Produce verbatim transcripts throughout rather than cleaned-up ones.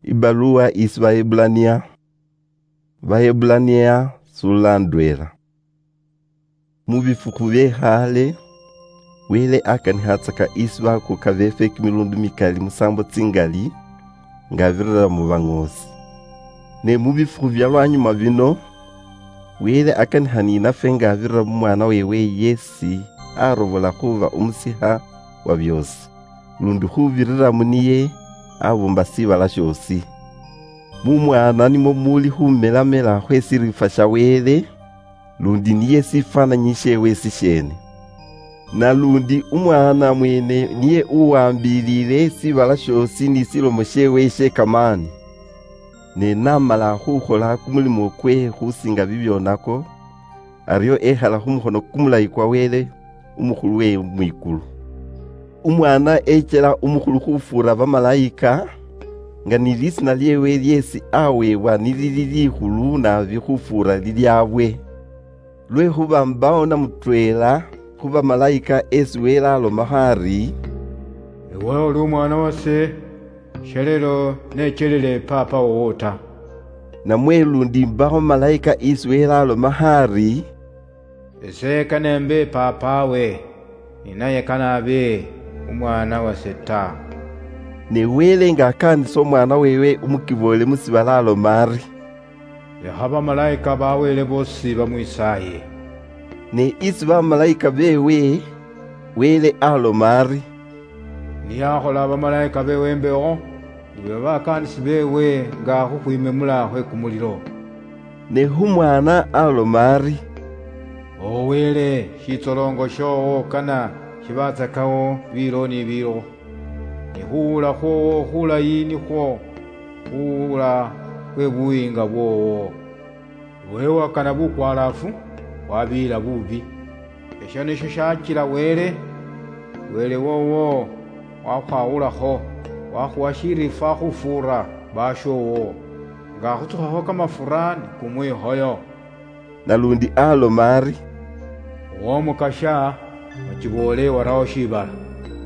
Ibaluwa isi Baebbulaniya. Baebbulaniya sula ndwela. Mu bifukhu bye khale, Wele akanikhatsaka isi bakuka befe kimilundu mikali musambo tsingali, nga abirira mu bang'osi. Ne mu bifukhu bya lwanyuma bino, Wele akanikha ninafe nga abirira mu mwana wewe yesi arobola khuba umusikha wa byosi, lundi khubirira muniye abumba sibala shiosi. Mu mwana nimwo muli khumelamela khwe sirifa sha Wele, lundi niye sifananyi shewe sishene. Nalundi umwana mwene niye uwambilile sibala shiosi ni silomo shewe she kamani. Ne namala khukhola kumulimo kwe khusinga bibionako, ario ekhala khumukhono kumulayi kwa Wele umukhulu we mwikulu. Umwana echela umukhulu khufuura bamalayika, nga ni lisina liewe liesi awebwa nilili likhulu naabi khufuura liliabwe. Lwekhuba mbawo na mutweela khu bamalayika esi Wele alomakho ari, "Ewe oli umwana wase, shalelo nechelele papa wowo ta." Namwe lundi mbawo malayika isi Wele alomakho ari, "Ese kanembe papawe, ninaye kanabe umwana wase ta." Ne Wele nga akaanisa umwana wewe umukiboole mu sibala aloma ari, "Lekha bamalayika ba Wele boosi bamwisaaye." Ne isi bamalayika bewe, Wele aloma ari, "Niyakhola bamalayika bewe imbewo, nibe bakaanisi bewe nga khukhwimemula khwe kumulilo." Ne khu mwana aloma ari, "O Wele, shitsolongo showo kana shibatsakawo bilo ni bilo. Ni khuwula khwowo khulayi nikhwo khuwula khwe buwinga bwowo. Iwe wakana bukwalaafu, wabiila bubi. Esho nisho shachila Wele, Wele wowo, wakhwawulakho, wakhuwa shirifa khufuura bashowo, nga akhutsukhakho kamafura ni kumwikhoyo." Nalundi aloma ari, "Womukasha, ochiboole warawo shibala,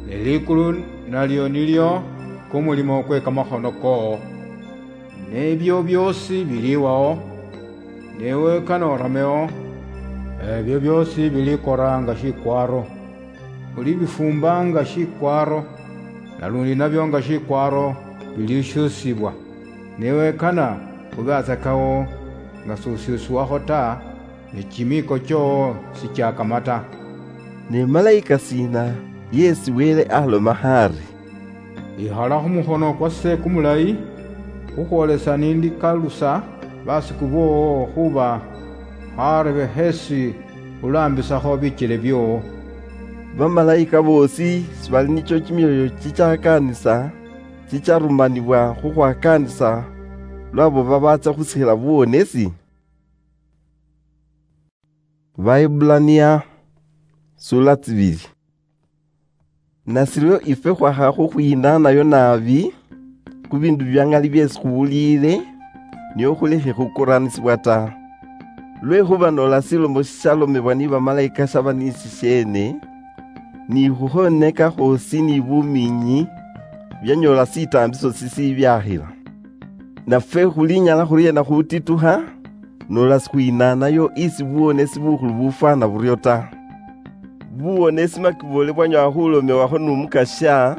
ne likulu nalio nilio kumulimo kwe kamakhono koo. Nebio biosi biliwawo, newe kanoramewo, ebio biosi bilikora nga shikwaro, ulibifumba nga shikwaro, nalundi nabio nga shikwaro bilishusibwa. Newe kana ubatsakawo nga susyusiwakho ta, ne chimiiko choo sichiakama ta." Ne malayika sina yesi Wele aloma khari, "Ikhala khumukhono kwase kumulayi, khukhwolesa nindikalusa basiku boowo khuba kharebe hesi ulaambisakho bichele bioowo." Bamalayika boosi sibali nicho chimioyo chichakaanisa, chicharumanibwa khukhwakaanisa lwabo babaatsa khusikhila buwonesi? Baebbulania, sula tsibili. Nashiryo ifwe khwakha khukhwinanayo naabi khu biindu bya ngali byeesi khuwuliile, nio khulekhe khukuranisibwa ta. Lwekhuba noola shilomo shishalomebwa ni bamalaika shaba ni shisheene, ni khukhoneka khwoosi ni bumiinyi byanyoola shitaambiso shishiibyakhila. Nafwe khulinyala khuryeena khutitukha, noola sikhwinaanayo isi buwonesi bukhulu bufwana buryo ta? Buwonesi makiboole bwanyoola khulomewakho nu Mukasya,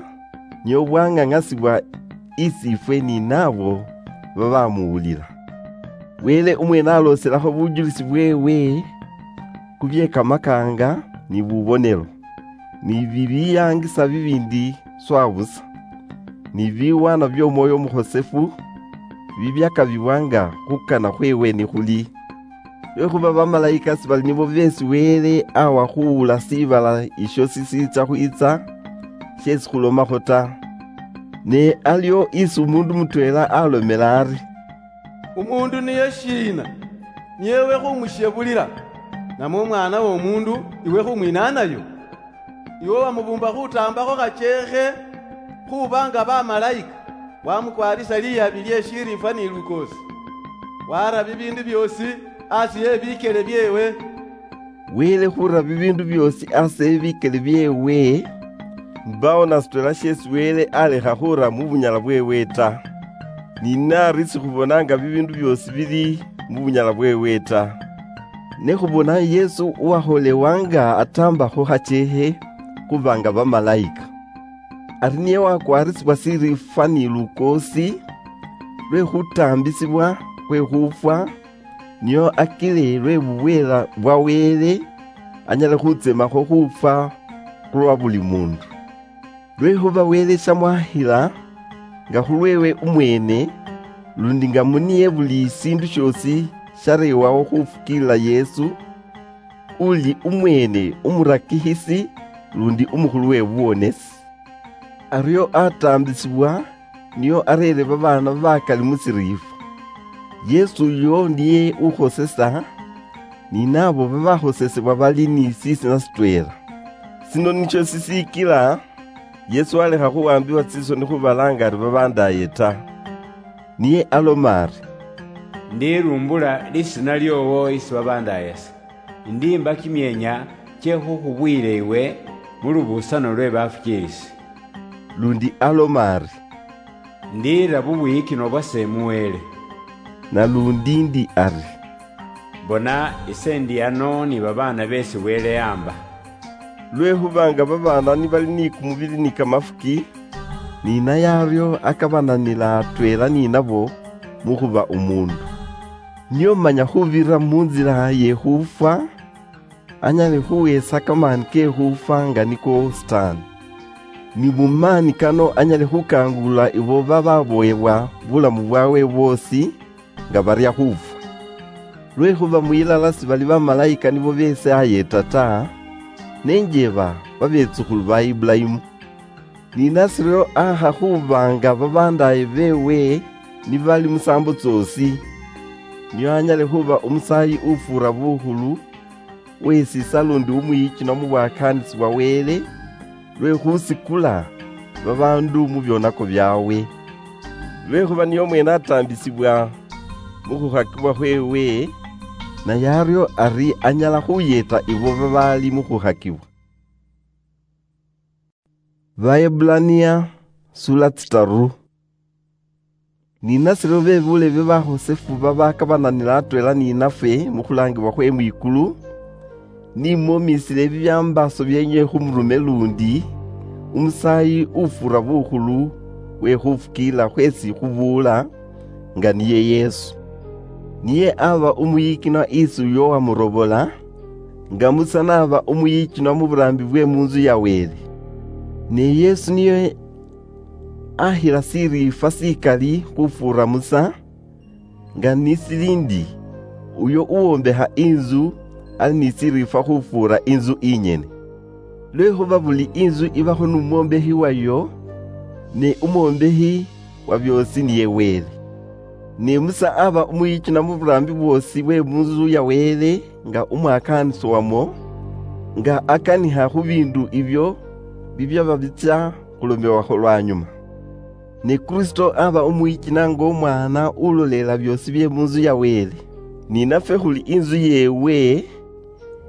nio bwang'ang'asibwa isi ifwe ni naabo babamuwulila. Wele umweene alooselakho bujulisi bweewe khu bye kamakaanga ni bubonelo, ni bibiyaangisa bibiindi swabusa, ni biwaana by'Omwoyo Umukhosefu bibyakabibwa nga khukana khweewe nikhuli. Lwekhuba bamalaika sibali nibo beesi Wele awa khuwula shiibala isho shisiitsa khwiitsa, sheesi khulomakho ta. Ne alio isi umuundu mutweela alomela ari, "Umuundu niye shiina, niye iwe khumushebulila, namwe umwaana w'omuundu iwe khumwinaanayo? Iwe wamubuumba khutaambakho khacheekhe khuuba nga bamalaika, wamukwarisa liyabi lye shiriifwa ni lukoosi, wara bibiindu byoosi asi e bikyele byeewe." Wele khura bibiindu byoosi asi e bikyele byeewe, mbawo na sitwela sheesi Wele alekha khura mu bunyala bweewe ta. ni nari sikhubonanga bibindu biosi bili mubunyala bwewe ta. Ne khubona Yesu uwakholewanga atamba khuhachehe khubanga bamalayika. Ari niye wakwarisibwa sirifwa ni lukoosi lwe khutambisibwa khwe khufwa, nio akile lwe bubwela bwa Wele anyale khutsemakho khufwa khulwa buli mundu. Lwekhuba Wele shamwahila nga khulwewe umwene, lundi nga muniye buli sindu shiosi sharewawo khufukilila Yesu, uli umwene umurakihisi lundi umukhulu we buwonesi. Ario atambisibwa, nio arere babaana bakali musiriifwa. Yesu uyo niye ukhosesa, ni nabo babakhosesebwa bali ni sisina sitwela. Sino nisho sisikila Yesu alekha khuwambibwa tsisoni khubalanga ari babandaye ta. Niye aloma ari, "Ndirumbula lisina liowo isi babandayasa. Ndimba kimienya kye khukhubwile iwe mu lubusano lwe bafukiilisi." Lundi aloma ari, "Ndiira bubwiyikinwa bwase mu Wele." Nalundi ndi ari, "Bona, ise ndi ano ni babaana beesi Wele yamba." Lwekhuba nga babaana nibali ni kumubili ni kamafuki, ni naye ario akabananila atweela ni nabo mukhuba omundu. Nio manya khubirira munzila ye khufwa, anyale khuwesa kamani ke khufwa nga niko Sitaani. Ni mumani kano anyale khukangula ibo bababoyebwa bulamu bwawe bwosi nga baria khufwa. Lwekhuba mwilala sibali bamalayika nibo besaayeta ta, nenjeba babetsukhulu ba Ibulayimu. Ni nasirio aha khubanga babandaye bewe nibali musambo tsosi, nio anyale khuba omusaayi ufuura bukhulu, wesisa lundi umwiyichino mu bwakaanisi bwa Wele, lwe khusikula babaandu mu byonako byawe. Lwekhuba niye omwene atambisibwa mu khukhakibwa khwewe, naye ario ari anyala khuyeta ibo babaali mu khukhakibwa. Baebbulania, sula tsitaru. Ni nasiro bebulebe bahosefu babakabananila atwela ni nafwe mu khulangibwa khwe mwikulu, nimwomisile ebibyambaaso byenywe khu murume lundi, umusaayi ufuura bukhulu we khufukiilila khwesi khubuula, nga niye Yesu. Niye aba umuyikinwa isi uyo wamurobola, nga Musa naba umuyikinwa mu buraambi bwe mu nzu ya Wele. Ne Yesu niye ahila siriifwa sikali khufuura Musa, nga nisili ndi, uyo uwombeha inzu ali ni siriifwa khufuura inzu inyene. Lwekhuba buli inzu ibakho numwombehi wayo, ne umwombehi wa byoosi niye Wele. Ne Musa aba umuyichina mu buraambi bwoosi bwe mu nzu ya Wele nga umwakaanisi wamwo, nga akaniha khu biindu ibyo bibyaba bicha khulomewakho lwanyuma. Ne Kristo aba umuyichina nga omwaana uloleela byoosi bye mu nzu ya Wele. Ni nafwe khuli inzu yeewe,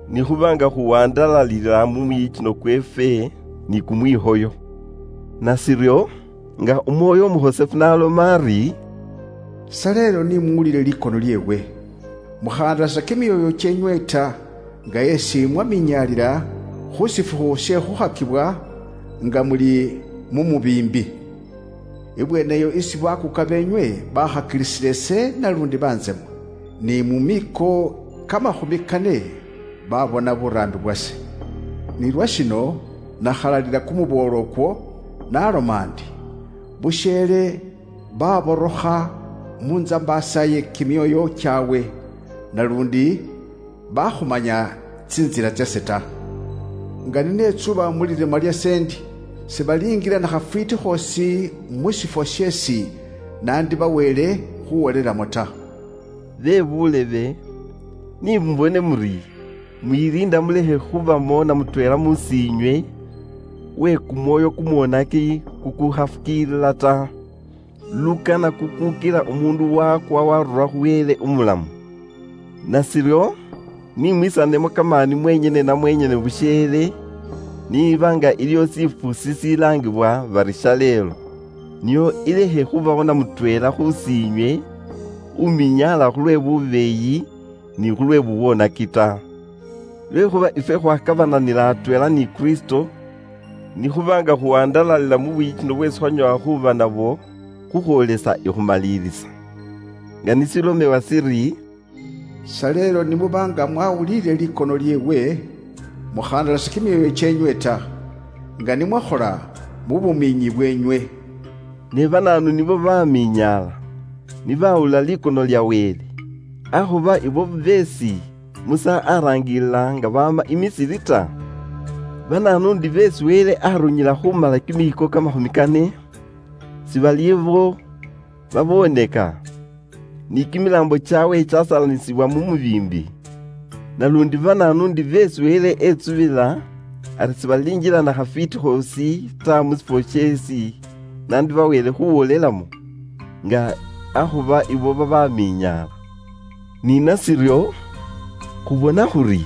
nikhuba nga khuwandalalila mu muyichino kweefwe ni kumwihoyo. Nasiryo, nga Umwoyo Umukhosefu n'aloma ari, "Sa leelo ni muwulile likono lyeewe, mukhandasa kimyoyo kyenywe ta, nga yesi mwaminyaalila khu shifukhu she khukhakibwa nga muli mu mubiimbi. Ibweneyo isi bakuuka beenywe bakhakilisile ise nalundi banzemwa, ni mu miiko kamakhumi kane babona buraambi bwase. Ni lwa shino nakhalalila kumuboolo okwo, naloma ndi, busheele baborokha mu nzambaasa ye kimyoyo kyaawe, nalundi bakhumanya tsinzila tsase ta. Nga ninetsuba mu lirima lyase ndi, sibaliingila na khafwiiti khoosi mu shifwo sheesi nandibaweele khuwolelamo ta." Be buulebe, ni mubone muri, mwiliinda mulekhe khubamo na mutweela mu siinywe we kumwoyo kumwonaki kukukhafukiilila ta, lukana kukuukila umuundu wakwa warula khu Wele umulamu. Nasiryo, ni mwisanemo kamaani mwenyene na mwenyene busheele, niiba nga iliho siifwo sisilaangibwa bari shaleelo. nio ilekhe khubaho na mutweela khusinywe uminyaala khulwe bubeeyi ni khulwe buwonaki ta. Lwekhuba ifwe khwakabananila atweela ni Kristo, nikhuba nga khuhandalalila mu buyikino bweesi khwanyoola khuba nabwo khukhwoolesa ikhumalilisa. Nga nisilomewa siri, "Shalelo nimuba nga mwawulile likono lyeewe, mukhandalase kimyoyo kyenywe ta, nga nimwakhola mu bumiinyi bwenywe." Ne banaanu nibo bamiinyaala, nibawulila likono lya Wele? Akhuba ibo beesi Musa arangilila nga baama i Misiri ta? Banaanu ndi beesi Wele arunyila khumala kimiiko kamakhumi kane, sibali ibo baboneka, ni kimilaambo kyawe kyasalanisibwa mu mubiimbi? Nalundi banaanu ndi beesi Wele etsubila ari sibalinjila na khafiti khoosi ta mu sifwo sheesi nandi bawele khuwolelamo, nga akhuba ibo babamiinyaala? Ni nasiryo, khubona khuri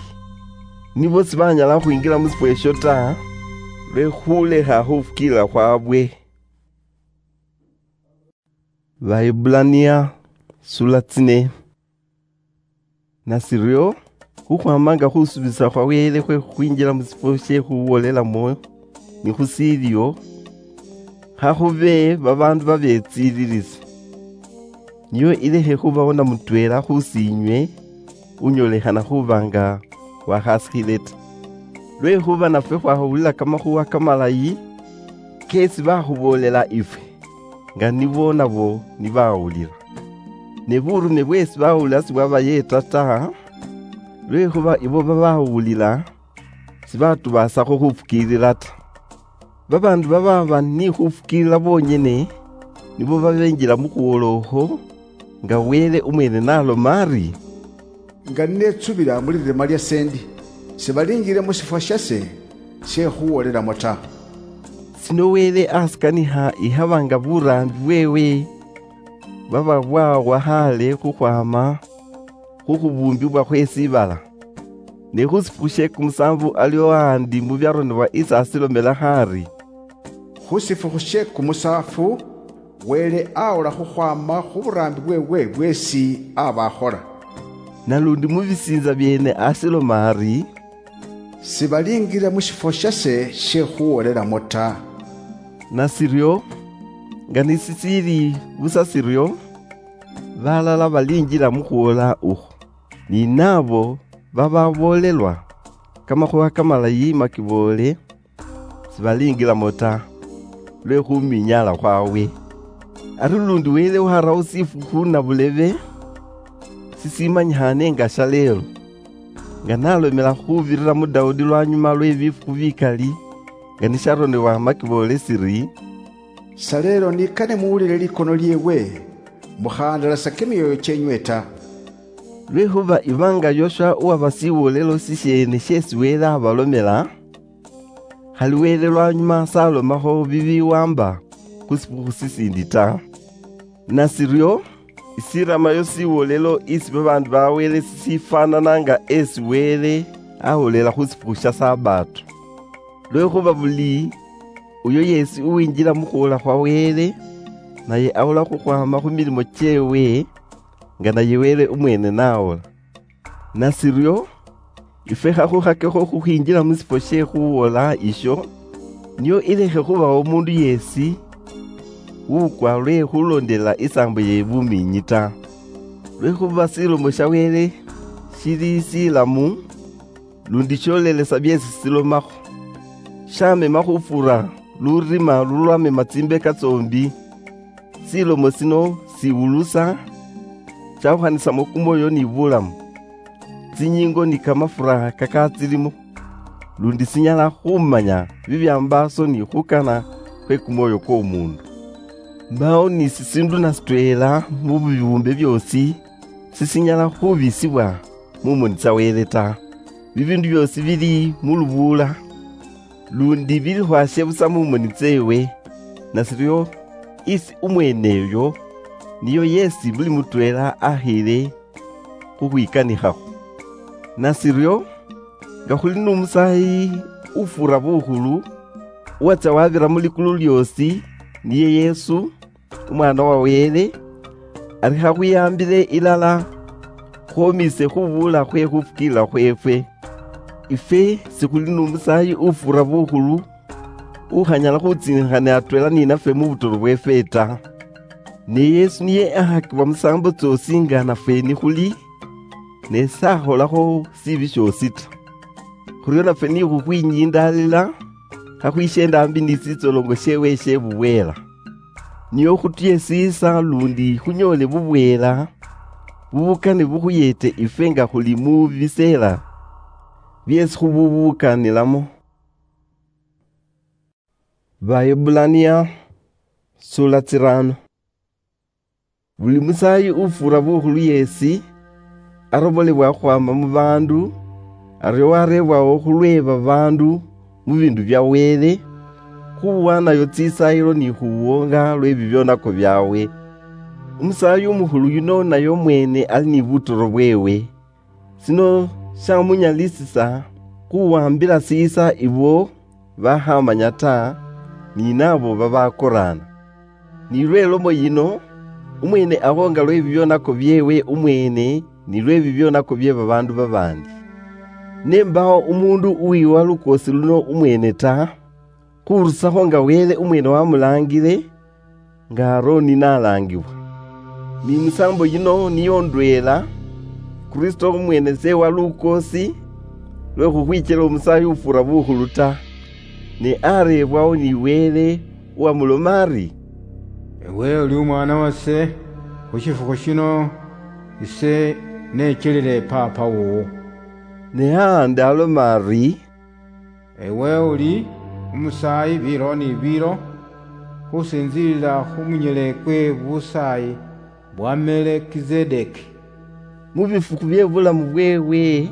nibo sibanyala khwingila mu sifwo esho ta, lwe khulekha khufukiilila khwabwe. Baibulania sula tsine. Nasiryo, khukhwama nga khusubisa khwa Wele khwe khukhwinjila mu sifwo she khuwolelamo ni khusiilyo, khakhube babaandu babetsililisi. Niyo ilekhe khubawo na mutweela khusinywe unyolekhana khuba nga wakhasikhile ta. Lwekhuba nafwe khwahulila kamakhuwa kamalayi keesi bakhuboolela ifwe, nga nibo nabo nibawulila. Ne burume bweesi bawulila sibwabayeeta ta, lwekhuba ibo babawulila sibatubasakho khufukiilila ta. Babaandu bababa ni khufukiilila bonyene nibo babenjila mu khuwola okhwo, nga Wele umwene naloma ari, "Nga ninetsubila mu lirima lia sendi, sibalinjile mu sifwa shase she khuwolelamo ta." Sino Wele asikanikha ikhaba nga buraambi bwewe bwaba bwawa khale khukhwama khu khubuumbibwa khwe sibala. Ne khu sifukhu she kumusaanvu aliwo haandi mu byaronebwa isi asilomela khari, "Khu sifukhu she kumusaanvu, Wele awola khukhwama khu buraambi bwewe bweesi aba akhola." Nalundi mu bisiinza byeene asiloma ari, "Sibaliingira mu shifwo shase she khuwolelamo ta." Nasiryo, nga nisisiili busa siryo, balala baliinjila mu khuwola ukhwo. Ni naabo bababoolelwa kamakhuwa kamalayi makiboole, sibaliingilamo ta, lwe khuminyaala khwawe. Ari lundi Wele waharawo sifukhu na bulebe sisimanyikhaane nga shaleelo, nga nalomela khubirira mu Daudi lwanyuma lwe bifukhu bikali, nga nisharonebwa makiboole siri, "Shaleelo nikane muwulile likono lyeewe, mukhandalasa kimyoyo kyenywe ta." Lwekhuba ibanga Yoshua uwaba siwolelo sisheene sheesi Wele abalomela, khali Wele lwanyuma salomakho bibiwamba khu sifukhu sisindi ta. Nasiryo, isiramayo siwolelo isi babaandu ba Wele sisifaanana nga esi Wele awolela khu sifukhu sha Sabato. Lwekhuba buli uyo yeesi uwinjila mu khuwola khwa Wele, naye awola khukhwama khu milimo kyeewe, nga naye Wele umweene nawola. Nasiryo, ifwe khakhukhakekho khukhwinjila mu sifwo she khuwola isho, nio ilekhe khubawo omuundu yeesi uukwa lwe khulondelela isaambo ye bumiinyi ta. Lwekhuba silomo sha Wele shili silamu, lundi sholelesa byeesi silomakho. Shamema khufura lurima lulwamema tsimbeka tsoombi. Silomo sino siwulusa, shawukhanisamo kumwoyo ni bulamu, tsinyingo ni kamafura kakatsilimo, lundi sinyala khumanya bibyambaaso ni khukana khwe kumwoyo kw'omuundu. Mbawo ni sisiindu na sitweela mu bibuumbe byoosi sisinyala khubisibwa mu moni tsa Wele ta. Bibiindu byoosi bili mu lubuula, lundi bilikhwashe busa mu moni tseewe, nasiryo isi umweeneyo niyo yeesi buli mutweela akhiile khukhwikanikhakho. Nasiryo, nga khuli n'Omusaayi ufuura bukhulu, uwatsya wabira mu likulu lyoosi, niye Yesu, Umwana wa Wele, ari khakhwiyambile ilala khwomise khubuula khwe khufukiilila khweefwe. Ifwe sikhuli nu musaayi ufuura bukhulu, ukhanyala khutsinikhana atweela ni nafwe mu butoro bweefwe ta. Ne Yesu niye akhakibwa musaambo tsyoosi nga nafwe nikhuli, ne sakholakho sibi syoosi ta. Khuryo nafwe ni khukhwinyindaalila, khakhwisheenda ambi ni sitsolongo syeewe sye bubweela. Nio khutuyesiisa lundi khunyoole bubweela, bubukane bukhuyeete ifwe nga khuli mu biseela byeesi khububukanilamo. Baebulania, sula tsirano. Buli musaayi ufuura bukhulu yeesi, arobolebwa khukhwaama mu baandu, aryo wareebwawo khulwe babaandu mu biindu bya Wele, khuwaanayo tsisaayilo ni khuwoonga lwe bibyonako byaawe. Umusaayi umukhulu yuno naye omweene ali ni butoro bweewe. Sino syamunyalisisa khuwambila siisa ibo bakhamanya ta, ni naabo babakoraana. Ni lwe lomo yino, umweene akhonga lwe bibyonako byeewe umweene, ni lwe bibyonako bye babaandu babaandi. Ne mbawo umuundu uwiwa lukoosi luno umweene ta, khurusakho nga Wele umweene wamulaangile, nga Aroni nalaangibwa. Ni musaambo yino niyo ndweela, Kristo umweene sewa lukoosi lwe khukhwichela umusaayi ufuura bukhulu ta, ne areebwawo ni Wele uwamuloma ari, "Ewe uli umwaana wase, khu shifukhu shino ise nechelile Paapa wowo." Ne haandi aloma ari, "Ewe uli umusaayi biilo ni biilo, khusinzilila khu munyele kwe busaayi bwa Melekizedeki." Mu bifukhu bye bulamu bweewe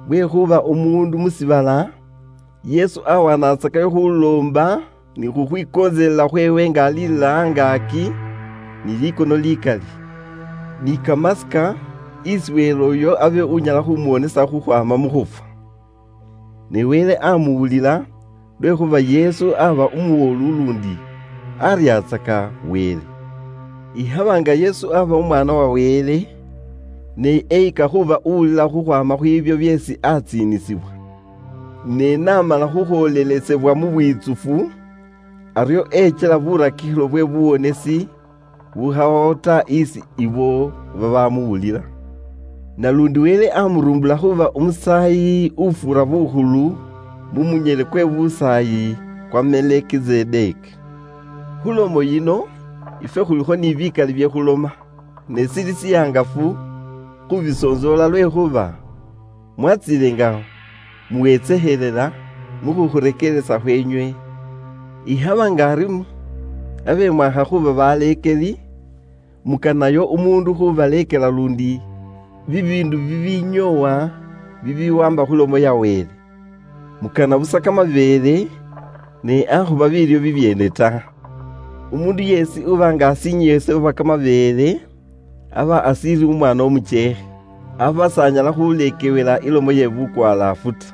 bwe khuba umuundu mu sibala, Yesu awanatsakayo khuloomba ni khukhwikontselela khweewe nga alilila angaaki ni likono likali, ni kamasika isi Wele uyo abe unyala khumuwonesa khukhwaama mu khufwa. Ne Wele amuwulila, lwekhuba Yesu aba umuwoolu lundi aryatsaka Wele. Ikhaba nga Yesu aba Umwaana wa Wele, ne eyika khuba uwulila khukhwaama khwibyo byeesi atsiinisibwa, ne namala khukhwoolelesebwa mu bwitsufu, aryo echela burakikhilo bwe buwonesi bukhawawo ta isi ibo babamuwulila. Nalundi Wele amurumbula khuba umusaayi ufuura bukhulu mu munyele kwe busaayi kwa Melekizedeki. Khulomo yino, ifwe khulikho ni bikali bye khuloma, ne sili siyangafu khubisonzoola, lwekhuba mwatsiile nga muwetsekhelela mu khukhurekeresa khwenywe. Ikhaba nga ari mu-, abe mwakha khuba baleekeli, mukanayo umuundu khubaleekela lundi bibiindu bibinyoowa bibiwamba khu lomo ya Wele. Mukana busa kamabeele, ne akhuba biilyo bibyeene ta. Umuundu yeesi uba nga asinyiyese khuba kamabeele, aba asiili umwaana umucheekhe, aba s'anyala khuleekewela ilomo ye bukwalaafu ta.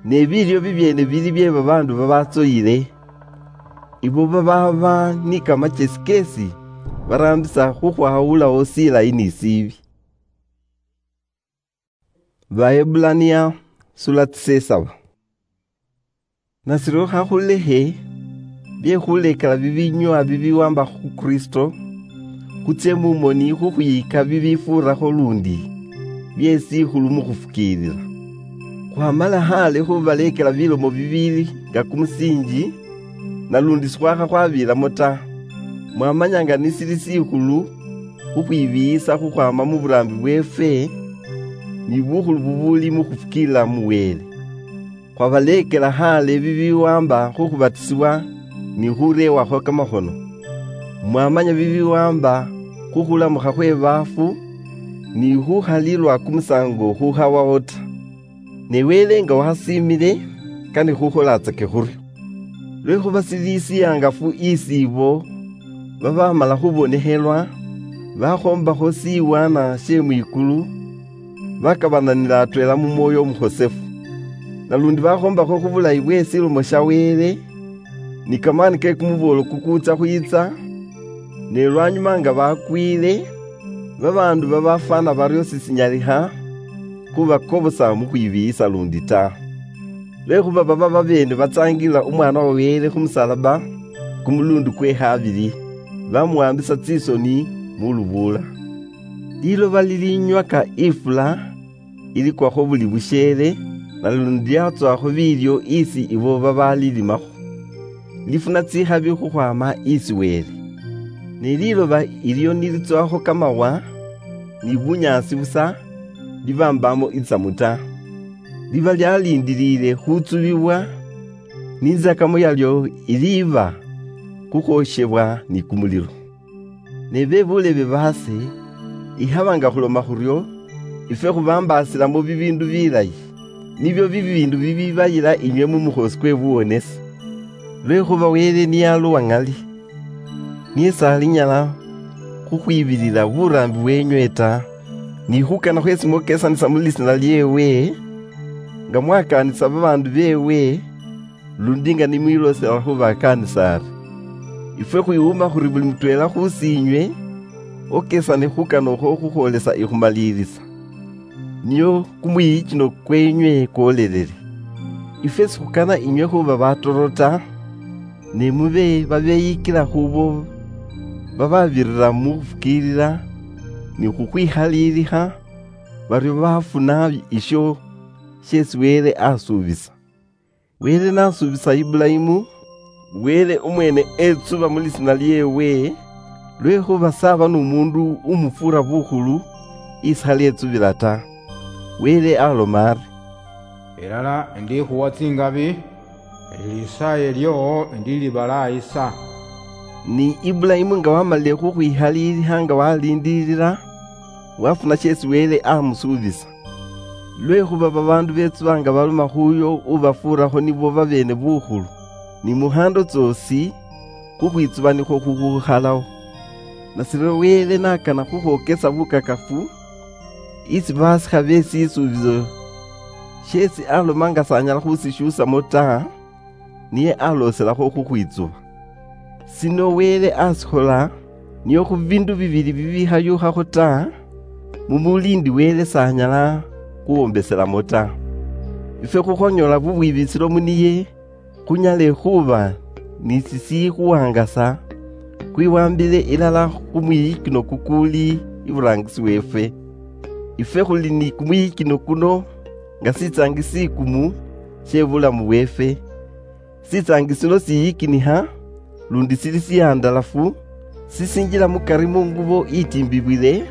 Ne biilyo bibyeene bili bye babaandu babatsoyile, ibo babaaba ni kamachesi keesi baraambisa khukhwawulawo silayi ni sibi. Baebulania sula tsisesaba. Nasiryo khakhulekhe bye khuleekela bibinywa bibiwamba khu Kristo, khutsie mu moni khukhwiika bibifuurakho lundi bye sikhulu mu khufukiilila. Khwamala khale khubaleekela bilomo bibiili nga kumusiinji, nalundi sikhwakha khwabiilamo ta. Mwamanya nga nisili sikhulu khukhwibiiyisa khukhwaama mu buraambi bweefwe, ni bukhulu bubuuli mu khufukiilila mu Wele. Khwabaleekela khale bibiwamba khu khubatisibwa ni khurewakho kamakhono. Mwamanya bibiwamba khu khulamukha khwe baafu, ni khukhalilwa kumusango khukhawawo ta. Ne Wele nga wakhasiimile, kane khukholatsake khuryo. Lwekhuba sili sihangafu isi ibo babamala khubonekhelwa, bakhombakho siwana sie mwikulu, bakabananila atweela mu Mwoyo Omukhosefu. Nalundi bakhombakho khu bulayi bwe silomo sha Wele, ni kamani ke kumuboolo kukuutsa khwiitsa, ne lwanyuma nga bakwile, babaandu babafwana baryo sisinyalikha khubakobosa mu khwibiiyisa lundi ta. Lwekhuba baba babeene batsaangilila Umwaana wa Wele khu musalaba kumuluundu kwe khabili, bamuwambisa tsisoni mu lubuula. Liloba lilinywaka ifula, ilikwakho buli busheele, nalundi lyatswakho biilyo isi ibo babaalilimakho, lifuna tsikhabi khukhwaama isi Wele. Ne liloba ilyo nilitswakho kamawa ni bunyaasi busa, libambamo itsamu ta. Liba lyalindiliile khutsubibwa, ni inzakamo yalyo iliiba khukhwoshebwa ni kumulilo. Ne be buulebe baase, ikhaba nga khuloma khuryo, ifwe khubambaasilamo bibiindu bilayi, nibyo bibiindu bibibayila inywe mu mukhoosi kwe buwonesi. Lwekhuba Wele niye aluwa ŋali, niye s'alinyala khukhwibilila buraambi bweenywe ta, ni khukana khwesi mwokesanisa mu lisiina lyeewe, nga mwakaanisa babaandu beewe, lundi nga nimwiloosela khu bakaanisa ari, ifwe khwiwuma khuri buli mutweela khusiinywe okesane khukana okhwo khukhwolesa ikhumaliirisa, nio kumwiyichino kwenywe kwolelele. Ifwe sikhukana inywe khuba batoro ta, ne mube babeyikila khubo bababirira mu khufukiilila ni khukhwikhaliilikha, baryo bafuna isho sheesi Wele asuubisa. Wele nasuubisa Ibulayimu, Wele umweene etsuba mu lisiina lyeewe, lwekhuba s'aba n'omuundu umufuura bukhulu isi khali etsubila ta. Wele aloma ari, "Ilala ndikhuwa tsingabi, ne lisaaye lyoo ndilibalaayi sa." Ni Ibulayimu nga wamalile khukhwikhaliilikha nga waliindilila, wafuna sheesi Wele amusuubisa. Lwekhuba babaandu betsuba nga baloma khuyo ubafuurakho nibo babeene bukhulu, ni mu khaando tsoosi, khukhwitsuba nikhwo khukhukhalao. Nashiryo Wele nakana khukhwokesa bukakafu, isi basikha be shisuubiso sheesi aloma nga s'anyala khusishuusamo ta, niye alooselakho khukhwitsuba. Sino Wele asikhola nio khu biindu bibili bibikhayukhakho ta, mu muliindi Wele s'anyala khuwombeselamo ta. Ifwe khukhonyoola bubwibisilo mu niye, khunyale khuba ni sisikhuwangasa, khwiwambile ilala khu mwiyikino kukuuli iburaangisi weefwe. Ifwe khuli ni kumwiyikino kuno nga sitsaangi sikumu she bulamu bweefwe. Sitsaangi sino siyikinikha, lundi sili sihandalafu, sisinjila mukari mu ngubo itimbibwile,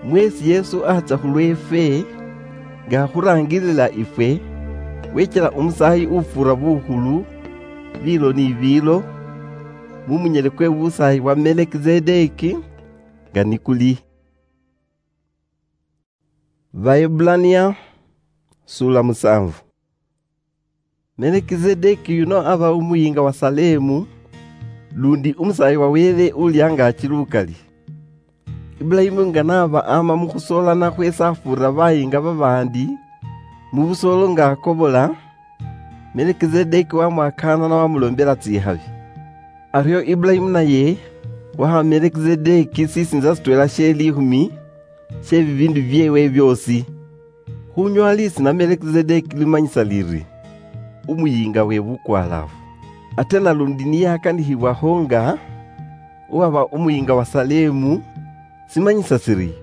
mweesi Yesu atsya khulweefwe, nga akhuraangilila ifwe, wechela umusaayi ufuura bukhulu, biilo ni biilo, mu munyele kwe busaayi bwa Melekisedeki, nga nikuli. Baebulania, sula musanvu. Melekisedeki yuno aba umuyiinga wa Salemu, lundi umusaayi wa Wele uli angaaki lukali. Ibulayimu nga n'aba ama mu khusoolana khwesi afuurira bayiinga babaandi mu busoolo nga akobola, Melekisedeki wamwakaanana wamuloombela tsikhabi. Aryo Ibulayimu naye waha Melekisedeki sisiinza sitweela she liikhumi she bibiindu byeewe byoosi. Khunyoola lisiina Melekisedeki limanyisa liri, "Umuyiinga we bukwalaafu." Ate nalundi niyakanikhibwaho nga uwaba umuyiinga wa Salemu, simanyisa siri,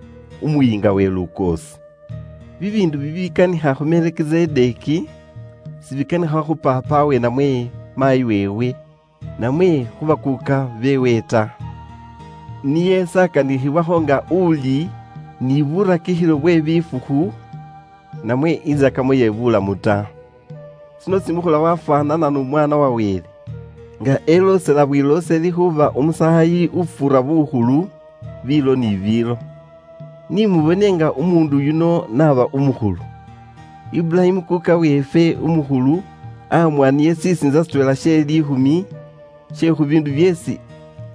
"Umuyiinga we lukoosi." Bibiindu bibikanikha khu Melekisedeki, sibikanikha khu paapawe namwe maayi weewe, namwe khu bakuuka beewe ta. Niye sakanikhibwaho nga uli ni burakikhilo bwe bifukhu, namwe inzakamo ye bulamu ta. Sino simukhola wafwanana n'Omwana wa Wele, nga eloosela bwilooseli khuba umusaayi ufuura bukhulu biilo ni biilo. Ni mubone nga umuundu yuno n'aba umukhulu. Ibulayimu kuka weefwe umukhulu amwaniye sisiinza sitweela she liikhumi she khu biindu byeesi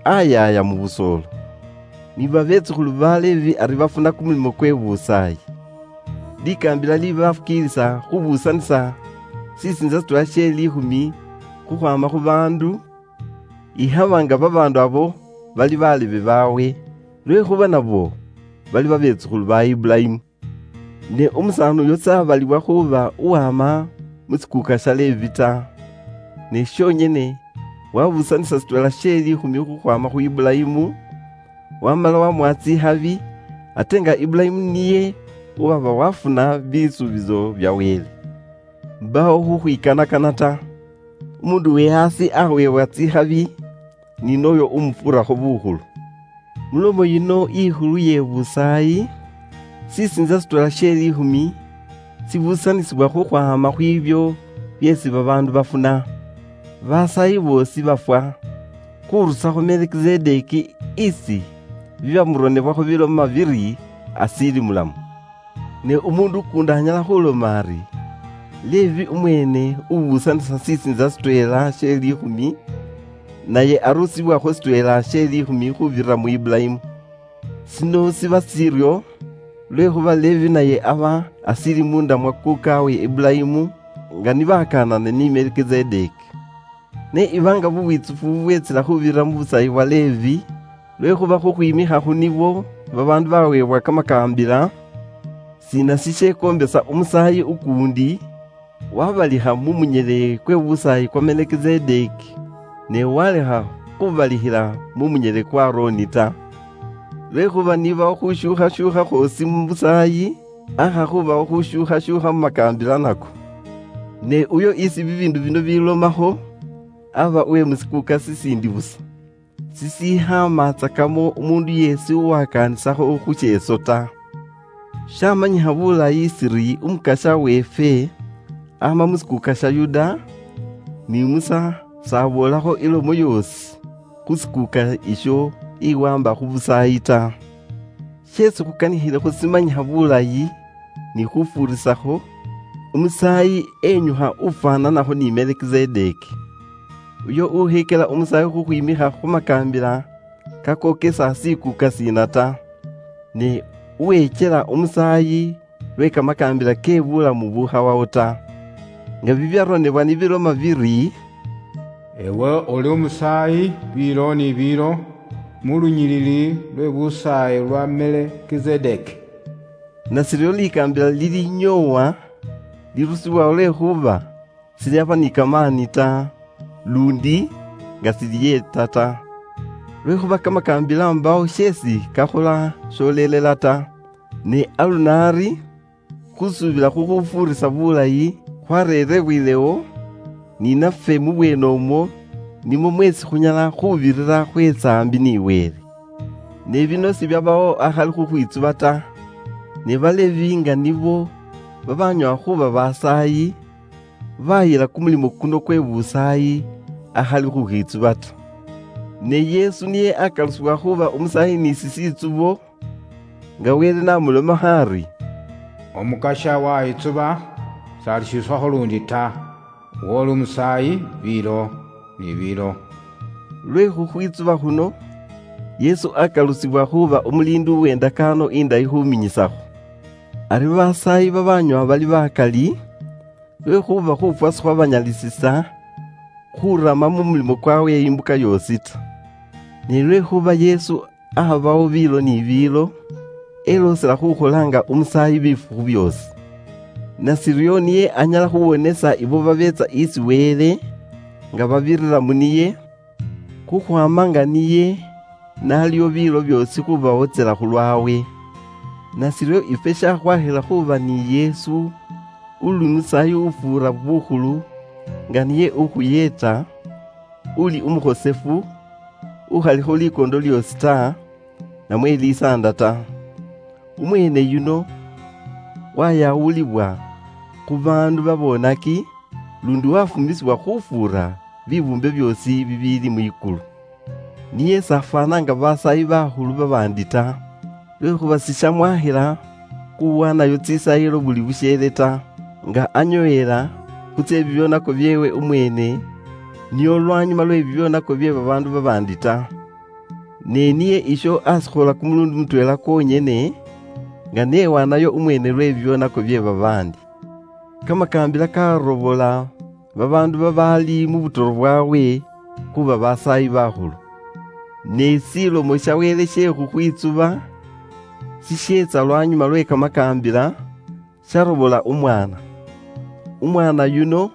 ayaaya mu busoolo. Ni babeetsukhulu ba Levi ari bafuna kumulimo kwe busaayi. Likaambila libafukiilisa khubuusanisa sisiinza sitweela she liikhumi khukhwama khu bandu, ikhaba nga babandu abo bali balebe bawe, lwekhuba nabo bali babetsukhulu ba Ibulayimu. Ne umusaani uyo sabalibwa khuba uwama mu sikuuka sha Levi ta, ne shonyene wabusanisa sitwela she likhumi khukhwama khu Ibulayimu, wamala wamuha tsikhabi, ate nga Ibulayimu niye uwaba wafuna bisuubizo bya Wele. Mbawo khukhwikanakana ta. Umundu we hasi aweebwa tsikhabi, ni noyo umufurakho bukhulu. Mulomo yino ikhulu ye busaayi, sisinza sitwela she likhumi sibusanisibwa khukhwama khwibyo byesi babandu bafuna. Basaayi boosi bafwa, khurusakho Melkizedeki isi bibamuronebwakho biloma biri asili mulamu. Ne umundu ukundi anyala khuloma ari, Levi umwene ubusanisa sisinza sitwela she likhumi, naye arusibwakho sitwela she likhumi khubirira mu Ibulayimu. Sino siba siryo, lwekhuba Levi naye aba asili mundamwa kukawe Ibulayimu, nga nibakanane ni Melkizedeki. Ne iba nga bubwitsufu bubwetsila khubirira mu busayi bwa Levi, lwekhuba khukhwimikha khu nibo babandu bawebwa kamakambila, sina sishekombesa umusayi ukundi wabalikha mu munyele kwe busayi kwa Melkizedeki, ne walekha khubalikhila mu munyele kwa Aroni ta? Lwekhuba nibawo khushukhashukha khwosi mu busayi, akha khubawo khushukhashukha mu makambila nako. Ne uyo isi bibindu bino bilomakho, aba uwe musikuka sisindi busa, sisikhamatsakamo umundu yesi uwakanisakho khu sheso ta. Shamanyikha bulayi siri umukasha wefe ama musikuka sha Yuda, ni Musa sabolakho ilomo yosi khu sikuka isho iwamba khu busayi ta. Shesi khukanikhile khusimanyikha bulayi ni khufurisakho, umusayi enyukha ufwananakho ni Melkizedeki. Uyo ukhekela umusayi khukhwimikha khu makambila kakokesa sikuka sina ta, ne uwechela umusayi lwe kamakambila ke bulamu bukhawawo ta. Nga bibyaronebwa nibiloma biri, "Ewe oli umusayi biilo ni biilo, mu lunyilili lwe busayi lwa Melekizedeki." Nasiryo likambila lilinyoowa lirusibwawo lwekhuba silyaba ni kamaani ta, lundi nga siliyeta ta. Lwekhuba kamakambila mbawo sheesi kakhola sholelela ta. Ne aluno ari, khusuubila khukhufuurisa bulayi khwareerebwilewo, ni nafwe mu bweene omwo nimwo mweesi khunyala khubirira khweetsa ambi ni Wele. Ne bino sibyabawo akhali khukhwitsuba ta, ne Balevi nga nibo babanyala khuba basaayi, bayila kumulimo kuno kwe busaayi akhali khukhwitsuba ta. Ne Yesu niye akalusibwa khuba umusaayi ni sisitsubo, nga Wele namulomakho ari, "Omukasha wayitsuba, salishiswakho lundi ta, woli umusaayi biilo ni biilo." Lwe khukhwitsuba khuno, Yesu akalusibwa khuba umuliindi uwendakaano indayi khuminyisakho. Ari basaayi babanywa bali bakali, lwekhuba khufwa sikhwabanyalisisa khurama mu mulimo kwawe imbuka yoosi ta. Ne lwekhuba Yesu akhabawo biilo ni biilo, eloosela khukhola nga umusaayi bifukhu byoosi. Nasiryo niye anyala khuwonesa ibo babeetsa isi Wele nga babirira mu niye, khukhwama nga niye naliwo biilo byoosi khubawotsela khulwawe. Nasiryo ifwe shakhwakhila khuba ni Yesu, uli musaayi ufuura bukhulu, nga niye ukhuyeeta, uli umukhosefu, ukhalikho likondo lyoosi ta, namwe lisaanda ta. Umweene yuno wayawulibwa khu baandu babonaki, lundi wafumisibwa khufuura bibuumbe byoosi bibiili mwikulu. Niye s'afwana nga basaayi bakhulu babaandi ta, lwekhuba sishamwakhila khuwanayo tsisayilo buli busheele ta, nga anyoyela khutse bibyonako byeewe umweene, nio lwanyuma lwe bibyonako bye babaandu babaandi ta. Ne niye isho asikhola kumulundi mutweela kwonyene, nga newanayo umweene lwe bibyonako bye babaandi. Kamakaambila karobola babaandu babaali mu butoro bwawe khuba basaayi bakhulu. Ne silomo sya Wele sye khukhwitsuba sisyeetsa lwanyuma lwe kamakaambila, syarobola umwaana. Umwaana yuno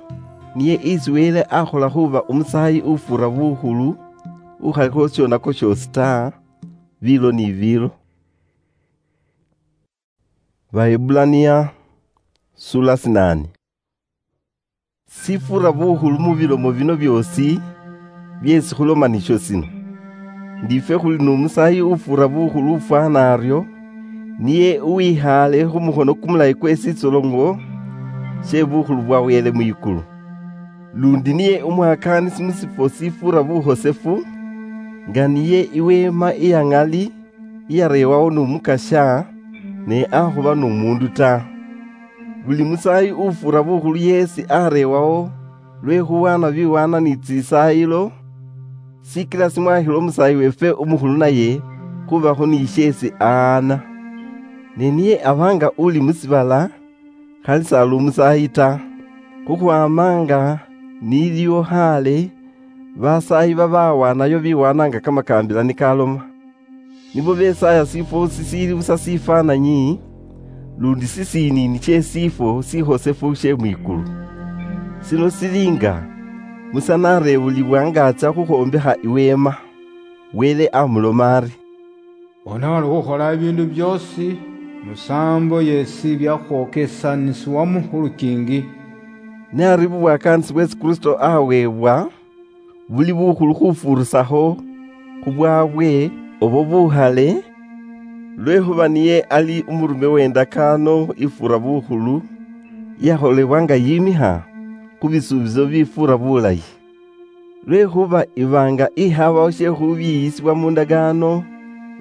niye isi Wele akhola khuba umusaayi ufuura bukhulu ukhalikho syonako syoosi ta, biilo ni biilo. Baebbulania, sula sinaane. Sifuura bukhulu mu bilomo bino byoosi byeesi khuloma nisyo sino: Ndi ifwe khuli n'umusaayi ufuura bukhulu ufwana aryo, niye uwikhaale khu mukhono kumulayi kwe sisoloŋo she bukhulu bwa Wele mwikulu. Lundi niye umwakaanisi mu sifwo sifuura bukhosefu, nga niye iweema iya ŋali iyareewawo n'Omukasya, ne akhuba n'omuundu ta. Buli musaayi ufuura bukhulu yeesi areewawo lwe khuwaana biwaana ni tsisaayilo, sikila simwakhila umusaayi weefwe umukhulu naye khubakho ni sheesi aana. Ne niye aba nga uli mu sibala, khali s'ali umusaayi ta, khukhwaama nga niliwo khaale basaayi babawaanayo biwaana nga kamakaambila nikaloma. Nibo besaaya sifwo sisiili busa sifaananyi, lundi sisiniini sye sifwo sikhosefu sye mwikulu. Sino sili nga Musa nareebulibwa nga atsya khukhwombekha iweema, Wele amuloma ari, "Bona wali khukhola ibiindu byoosi, musaambo yeesi byakhwokesanisiwamo khu lukiingi." Ne ari bubwakaanisi bweesi Kristo aweebwa, buli bukhulu khufuurisakho khu bwaabwe obwo bukhale, lwekhuba niye ali umurume w'endakaano ifuura bukhulu, iyakholebwa nga yimikha khu bisuubizo bifuura bulayi. Lwekhuba iba nga ikhabawo she khubiiyisibwa mu ndagaano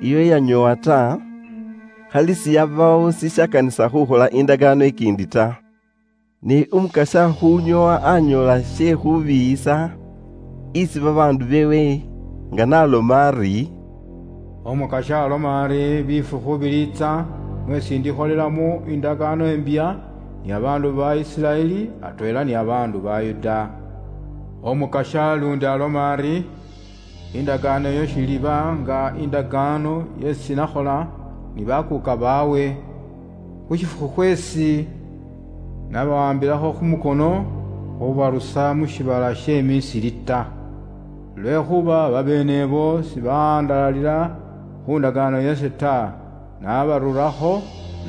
iyo iyanyoowa ta, khali siyabawo sishakanisa khukhola indagaano ikiindi ta. Ne Umukasya khunyoowa anyoola she khubiiyisa isi babaandu beewe, nga naloma ari, "Omukasya aloma ari, bifukhu biliitsa, mwesi ndikholelamo indagaano imbya ni abaandu ba Isiraeli, atweela ni abaandu ba Yuda." Omukasya lundi aloma ari, "Indagaano iyo shiliba nga indagaano yesi nakhola ni bakuuka baawe, khu shifukhu khwesi nabawambilakho khu mukono khubarusa mu shiibala she Misiri ta. Lwekhuba babeene ebo sibaandaalalira khu ndagaano yase ta, nabarurakho,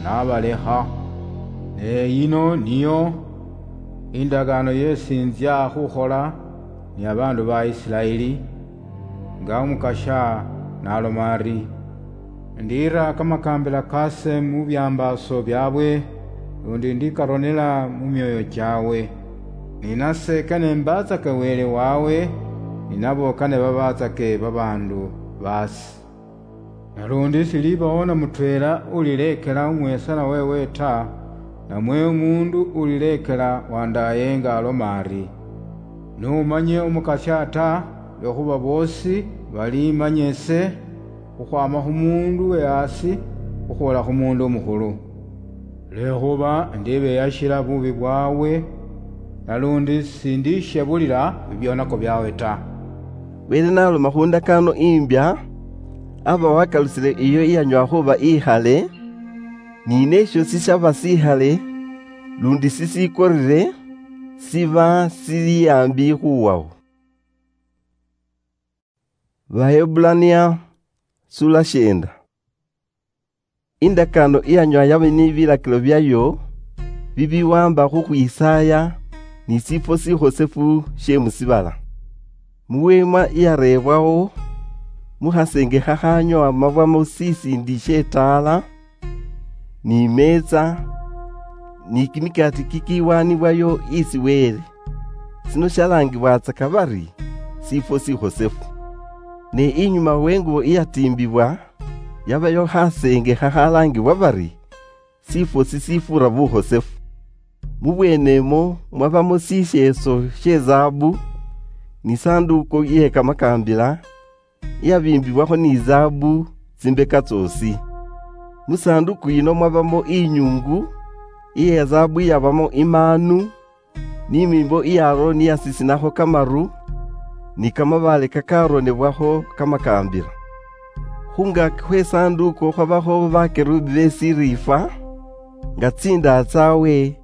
nabalekha. Ne yino niyo indagaano yesi nzya khukhola ni abaandu ba Isiraeli, nga Umukasya naloma ari, ndiira kamakaambila kaase mu byambaaso byaabwe, lundi ndikaronela mu myooyo kyaabwe. Ni nase kane mbaatsake Wele waabwe, ni nabo kane babaatsake babaandu baase. Nalundi silibawo na mutweela ulileekela umweesana weewe ta, namwe umuundu ulileekela wandaaye nga aloma ari, 'N'umanye Umukasya ta,' lwekhuba boosi balimanya ise, khukhwaama khu muundu we haasi khukhwoola khu muundu umukhulu. Lwekhuba ndibeyashila bubi bwaabwe, nalundi sindishebulila bibyonako byaabwe ta." Wele naloma khu ndakaano imbya, aba wakalusile iyo iyanywa khuba ikhale, ni nesho sishaba sikhale, lundi sisikorire, siba sili ambi khuwawo. Bahebbulania, sula shienda. Indakaano iyanywa yaba ni bilakilo byayo bibiwamba khukhwisaaya ni sifwo sikhosefu she musibala. Muweema iyareebwawo, mukhasenge khakhanywa mabwamo sisindi she taala, ni meetsa, ni kimikaati kikiwaanibwayo isi Wele. Sino shalangibwatsaka bari, sifwo sikhosefu. Ne inyuma wengubo iyatimbibwa, yabayo khaseenge khakhalaangibwa bari, sifwo sisifuura bukhosefu. Mubweenemwo mwabamo sisheeso she zaabu, ni sanduuku iye kamakaambila, iyabiimbiwakho ni zaabu tsimbeka tsyoosi. Mu sanduuku yino mwabamo inyungu iye zaabu iyabamo imaanu, ni mimbo iya Aroni yasisinakho kamaru, ni kamabaale kakaronebwakho kamakambila. Khungaki khwe sanduku khwabaho bakerubi be sirifa, nga tsindaa tsawe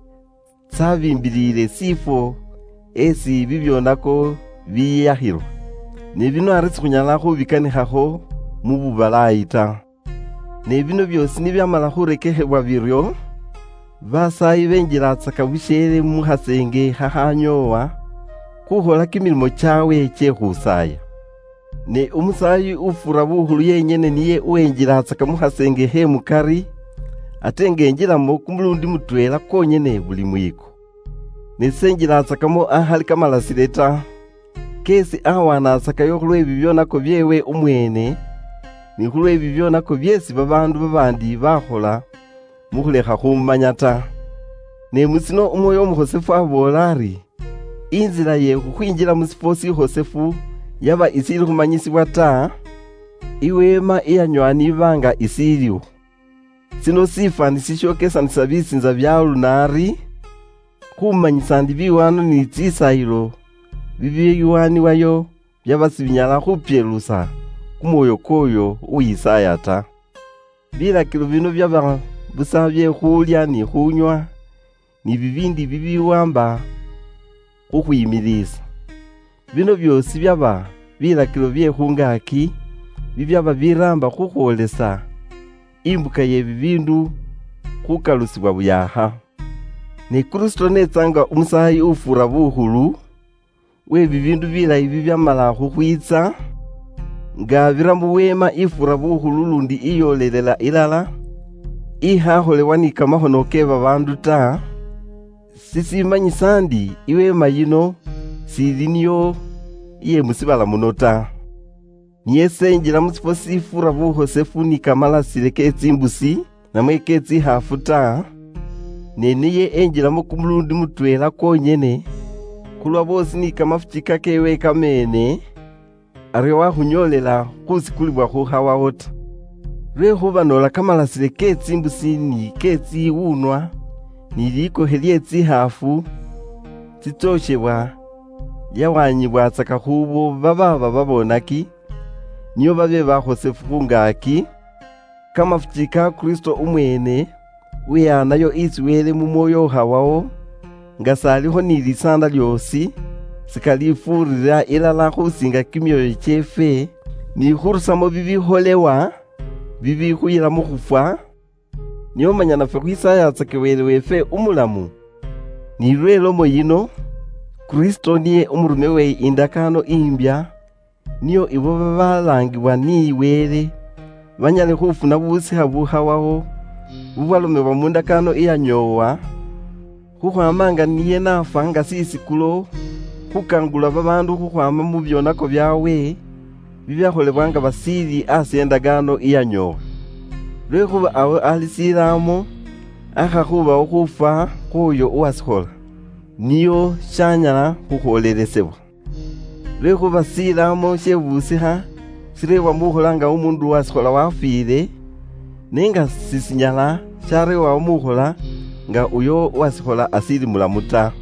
tsabimbilile sifwo esi bibyonako biyakhilwa. Ne bino ari sikhunyala khubikanikhakho mu bubalayi ta. Ne bino biosi nibyamala khurekekhebwa biryo, basayi benjilatsaka busheele mu khasenge khakhanyoowa, khukhola kimilimo chawe che khusaya. Ne umusayi ufura bukhulu yenyene niye uwenjilatsaka mu khasenge khe mukari, ate nga enjilamo kumulundi mutweela kwonyene buli mwiiko. Ne senjilatsakamo akhali kamalasile ta, kesi awanatsakayo khulwe bibyonako byewe umwene, ni khulwe bibyonako byesi babaandu babandi bakhola mu khulekha khumumanya ta. Ne musino Umwoyo Umukhosefu aboola ari, inzila ye khukhwinjila mu sifwo sikhosefu yaba isili khumanyisibwa ta, iweema iyanywa niba nga isiliwo. Sino sifani sishokesanisa bisinza bya lunari, khumanyisa ndi biwano ni tsisayilo bibiyiwaniwayo byaba sibinyala khupyelusa kumwoyo kwoyo uyisaya ta. Bilakilo bino byaba busa bye khulya ni khunywa, ni bibindi bibiwamba khukhwimilisa. Bino byosi byaba bilakilo bye khungaki, bibyaba biramba khukhwolesa imbuka ye bibindu khukalusibwa buyakha. Ne Kristo netsanga umusayi ufura bukhulu we bibindu bilayi bibyamala khukhwitsa, nga abira mu weema ifura bukhulu lundi iyolelela ilala, ikhakholebwa ni kamakhono ke babaandu ta, sisimanyisa ndi iweema yino sili niyo iye musibala muno ta. Niye senjila mu sifwo sifura bukhosefu ni kamalasile ke tsimbusi, namwe ke tsikhaafu ta, ne niye enjilamo kumulundi mutweela kwonyene, khulwa boosi ni kamafuchika kewe kamene, aryo wakhunyoolela khusikulibwa khukhawawo ta. Lwekhuba noola kamalasile ke tsimbusi ni ke tsiwunwa, ni likokhe lye tsikhaafu tsitsooshebwa, lyawanyibwatsaka khubo bababa babonaki, nio babe bakhosefu khungaki, kamafuchi ka Kristo umwene, weyanayo isi Wele mu mwoyo ukhawawo, nga salikho ni lisaanda lyoosi, sikalifuurira ilala khusinga kimyoyo kyeefwe, ni khurusamo bibikholewa, bibikhuyila mu khufwa, nio manya nafwe khwisayatsake Wele weefwe umulamu. Ni lwe lomo yino, Kristo niye umurume we indakaano imbya, nio ibo babalaangibwa ni Wele banyale khufuna busikha bukhawawo, bubwalomebwa mu ndakaano iyanyoowa, khukhwama nga niye nafwa nga sisikulo, khukangula babaandu khukhwama mu byonako byawe, bibyakholebwa nga basiili asi endagaano iyanyoowa. Lwekhuba awo ali silaamo, akhakhubawo khufwa khwoyo uwasikhola, niyo shanyala khukhwolelesebwa. Lwekhuba silaamo shebusikha shireebwa mukhola nga umundu uwasikhola wafwile, ne nga sisinyala shareebwawo mukhola nga uyo uwasikhola asili mulamu ta.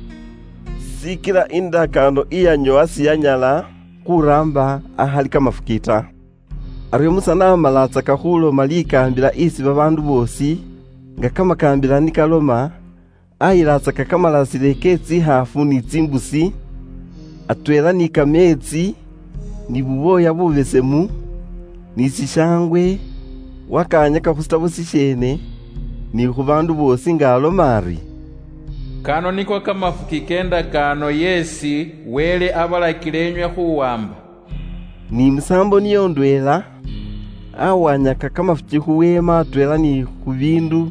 Sikila indakaano iyanyowa siyanyala khuramba akhali kamafuki ta. Aryo Musa namalatsaka khuloma likambila isi babaandu boosi, nga kamakambila nikaloma, ayilatsaka kamalasile ke tsikhaafu ni tsimbusi, atweela ni kameetsi, ni bubwooya bubesemu, ni sishaangwe, wakaanyaka khu sitabo sisheene, ni khu baandu boosi nga aloma ari, "Kano niko kamafuki ke ndakaano yeesi Wele abalakile enywe khuwamba." Ni musaambo niyo ndweela, awanyaka kamafuki khu weema atweela ni khu biindu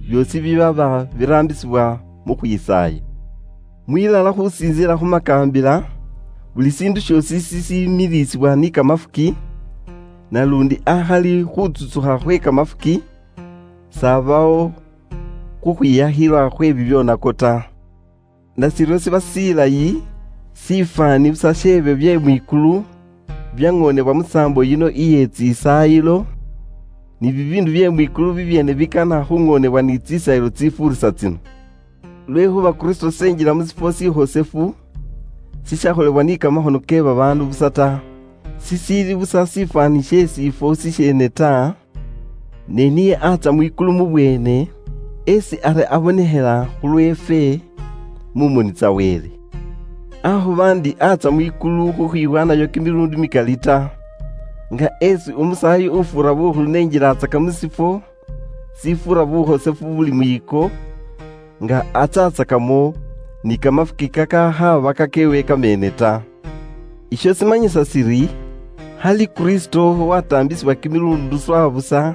byoosi bibaba biraambisibwa mu khwisaaya. Mwilala khusinziila khu makaambila, buli siindu syoosi sisimilisibwa ni kamafuki, nalundi akhali khutsutsukha khwe kamafuki, sabawo khukhwiyakhilwa khwe bibyonako ta. Nashiryo shiba shilayi, shifwani busa shebyo bye mwikulu, byang'onebwa musaambo yino iye tsisaayilo, ni bibiindu bye mwikulu bibyene bikana khung'onebwa ni tsisaayilo tsifuurisa tsino. Lwekhuba Kristo senjila musifwo sihosefu, sishakholebwa ni kamahono ke babaandu busa ta, sisiili busa sifwani shie sifwo sishiene ta, ne niye atsa mwikulu mubwene, esi ari abonehela khulwefe mumoni tsa Wele. Ahuba ndi atsa mwikulu khukhwibwanayo kimilundi mikali ta, nga esi omusayi ufura bukhulu nenjilatsaka musifwo sifura buhosefu buli mwiko, nga atsatsakamo ni kamafuki kakakhaba kakewe kamene ta. Isho simanyisa siri, hali Kristo watambisibwa kimilundu swa busa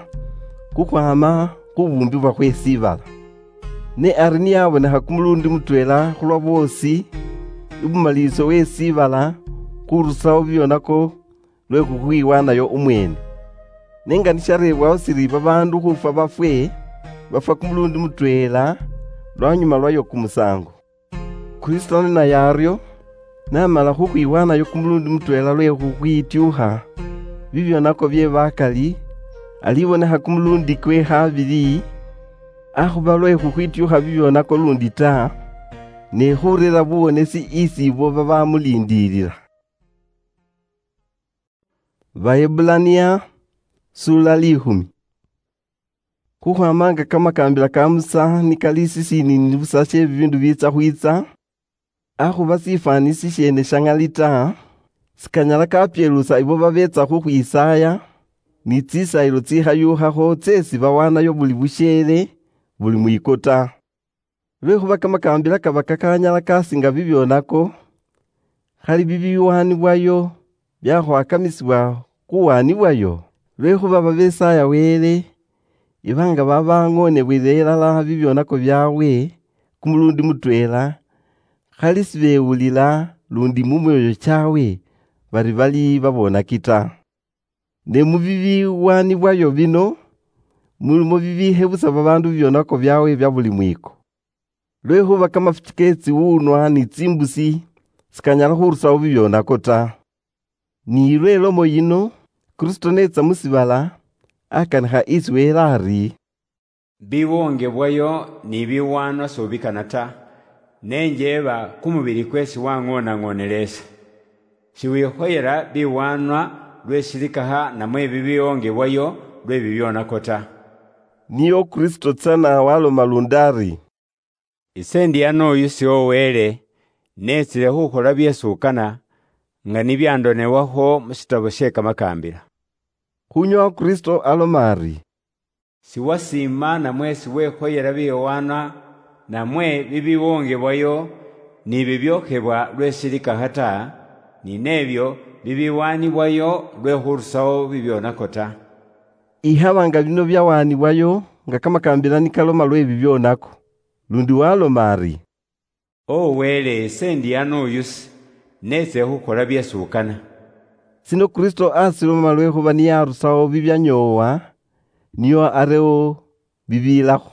kukhwama khubumbibwa khwe sibala. Ne ari niyabonekha kumulundi mutwela khulwa boosi, ibumaliso we sibala khurusawo bibionako lwe khukhwiwanayo umwene. Ne nga nisharebwaho siri babaandu khufwa bafwe, bafwa kumulundi mutweela lwanyuma lwayo kumusango. Kristo ninaye ario, namala khukhwiwanayo kumulundi mutweela lwe khukhwitiukha bibionako bie bakali, alibonekha kumulundi kwe khabili, akhuba lwe khukhwitiukha bibionako lundi ta, ne khurera buwonesi isi ibo babamulindilila. Baebulania, sula likhumi. Khukhwamanga kamakambila ka Musa nikali sisiinini busa shie bibindu biitsa khwitsa, akhuba sifwani sishiene shangali ta, sikanyala kapielusa ibo babetsa khukhwisaaya, ni tsisayilo tsikhayukhakho tsesi bawanayo buli bushiele, buli mwiko ta. Lwekhuba kamakambila kaba kakanyala kasinga bibionako, khali bibiwanibwayo biakhwakamisibwa khuwanibwayo, lwekhuba babesaaya Wele, iba nga babang'onebwile ilala bibionako biabwe kumulundi mutweela, khali sibewulila lundi mumioyo chawe bari bali babonaki ta. Ne mubibiwanibwayo bino, mulimo bibihe busa babaandu bibionako byawe bya buli mwiko. Lwekhuba kamafuki ke tsiwunwa ni tsimbusi sikanyala khurusawo bibionako ta. Ni lwe lomo yino, Kristo netsa musibala, akanikha isi Wele ari, Biwongebwayo ni biwanwa sobikana ta, ne njeeba kumubili kwesi wang'onang'onele ese. Shiwikhoyela biwanwa lwe shilikaha namwe bibiwongebwayo lwe bibionako ta. Niyo Kristo tsana waloma lundi ari, Ise ndi ano oyu sioweele, netsile khukhola byesi ukana, nga nibyandonewakho mu shitabo she Kamakambila. Khunyowa Kristo aloma ari, Siwasiima namwe siwekhoyela biyowana namwe bibiwongebwayo ni bibyokhebwa lwe shilikaha ta, ni nebyo bibiwanibwayo lwe khurusawo bibyonako ta. Ikhaba nga bino byawanibwayo nga kamakambila nikaloma lwe bibyonako, lundi waloma ari, O Wele, ise ndi ano oyusi, netse khukhola byesi ukana. Sino Kristo asiloma lwekhuba niyarusawo bibyanyoowa, nio arewo bibiilakho.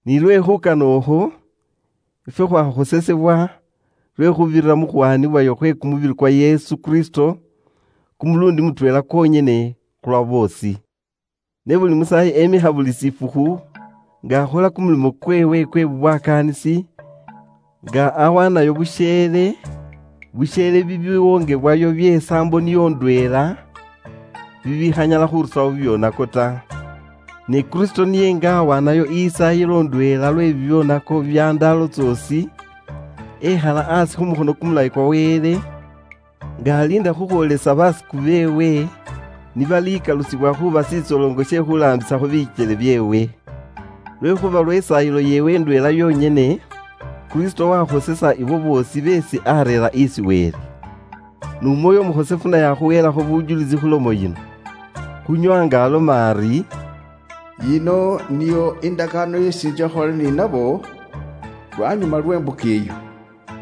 Ni lwe khukana okhwo, ifwe khwakhosesebwa lwe khubirira mu khwanibwayo khwe kumubili kwa Yesu Kristo, kumulundi mutweela kwonyene khulwa boosi. Ne buli musayi emikha buli sifukhu, nga akhola kumulimo kwewe kwe bubwakaanisi, nga awanayo busheele, busheele bibiwongebwayo bye saambo niyo ndweela, bibikhanyala khurusawo bibyonako ta. Ne Kristo niye nga awanayo isayilo ndweela lwe bibyonako bya ndaalo tsoosi, ekhala asi khu mukhono kumulayi kwa Wele, nga aliinda khukhwolesa basiku beewe nibalikalusibwa khuba sitsolongo she khulaambisakho bikyele byeewe. Lwekhuba lw'esaayilo yeewe ndweela yonyene, Kristo wakhosesa ibo boosi beesi areera isi Wele. N'Omwoyo Omukhosefu naye akhuweelakho bujulisi khu lomo yino, khunyowa nga aloma ari, Yino niyo indakaano yeesi injia khukhola ni nabo lwanyuma lw'embuka eyo.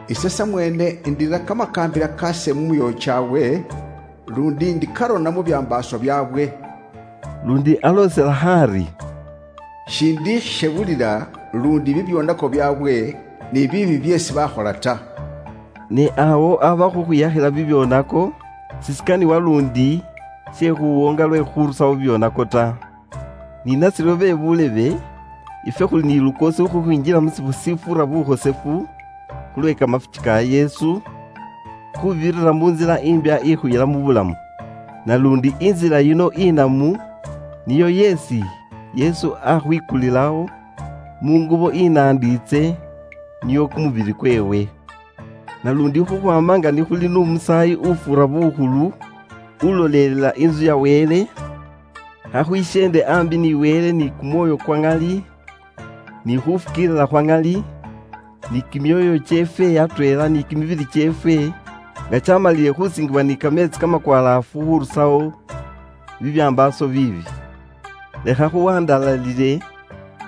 Ise samweene indira kamakaambila kaase mu myoyo kyaabwe, lundi ndikarona mu byambaaso byaabwe. Lundi alooselaho ari, Shindikhishebulira lundi bibyonako byaabwe ni biibi byeesi bakhola ta. Ne awo aba khukhwiyakhila bibyonako, sisikaniwa lundi she khuwonga lwe khurusawo bibyonako ta. Ni nasiryo be bulebe, Ifwe khuli ni lukoosi khukhwinjila mu sifu sifura bukhosefu khulwe kamafuchi ka Yesu, khubirira mu nzila imbya ikhuyila mu bulamu. Nalundi inzila yino inamu niyo yesi Yesu akhwikulilawo mu ngubo inandiitse, niyo kumubili kwewe. Nalundi khukhwama nga nikhuli nu musaayi ufura bukhulu ulolelela inzu ya Wele, khakhwishende ambi ni Wele ni kumwoyo kwa ŋali, ni khufukiilila khwa ŋali, ni kimioyo kyeefwe atweela ni kimibili kyeefwe, nga kyamalile khusingibwa ni kameetsi kamakwalaafu khurusawo bibyambaaso biibi. Lekha khuwandalalile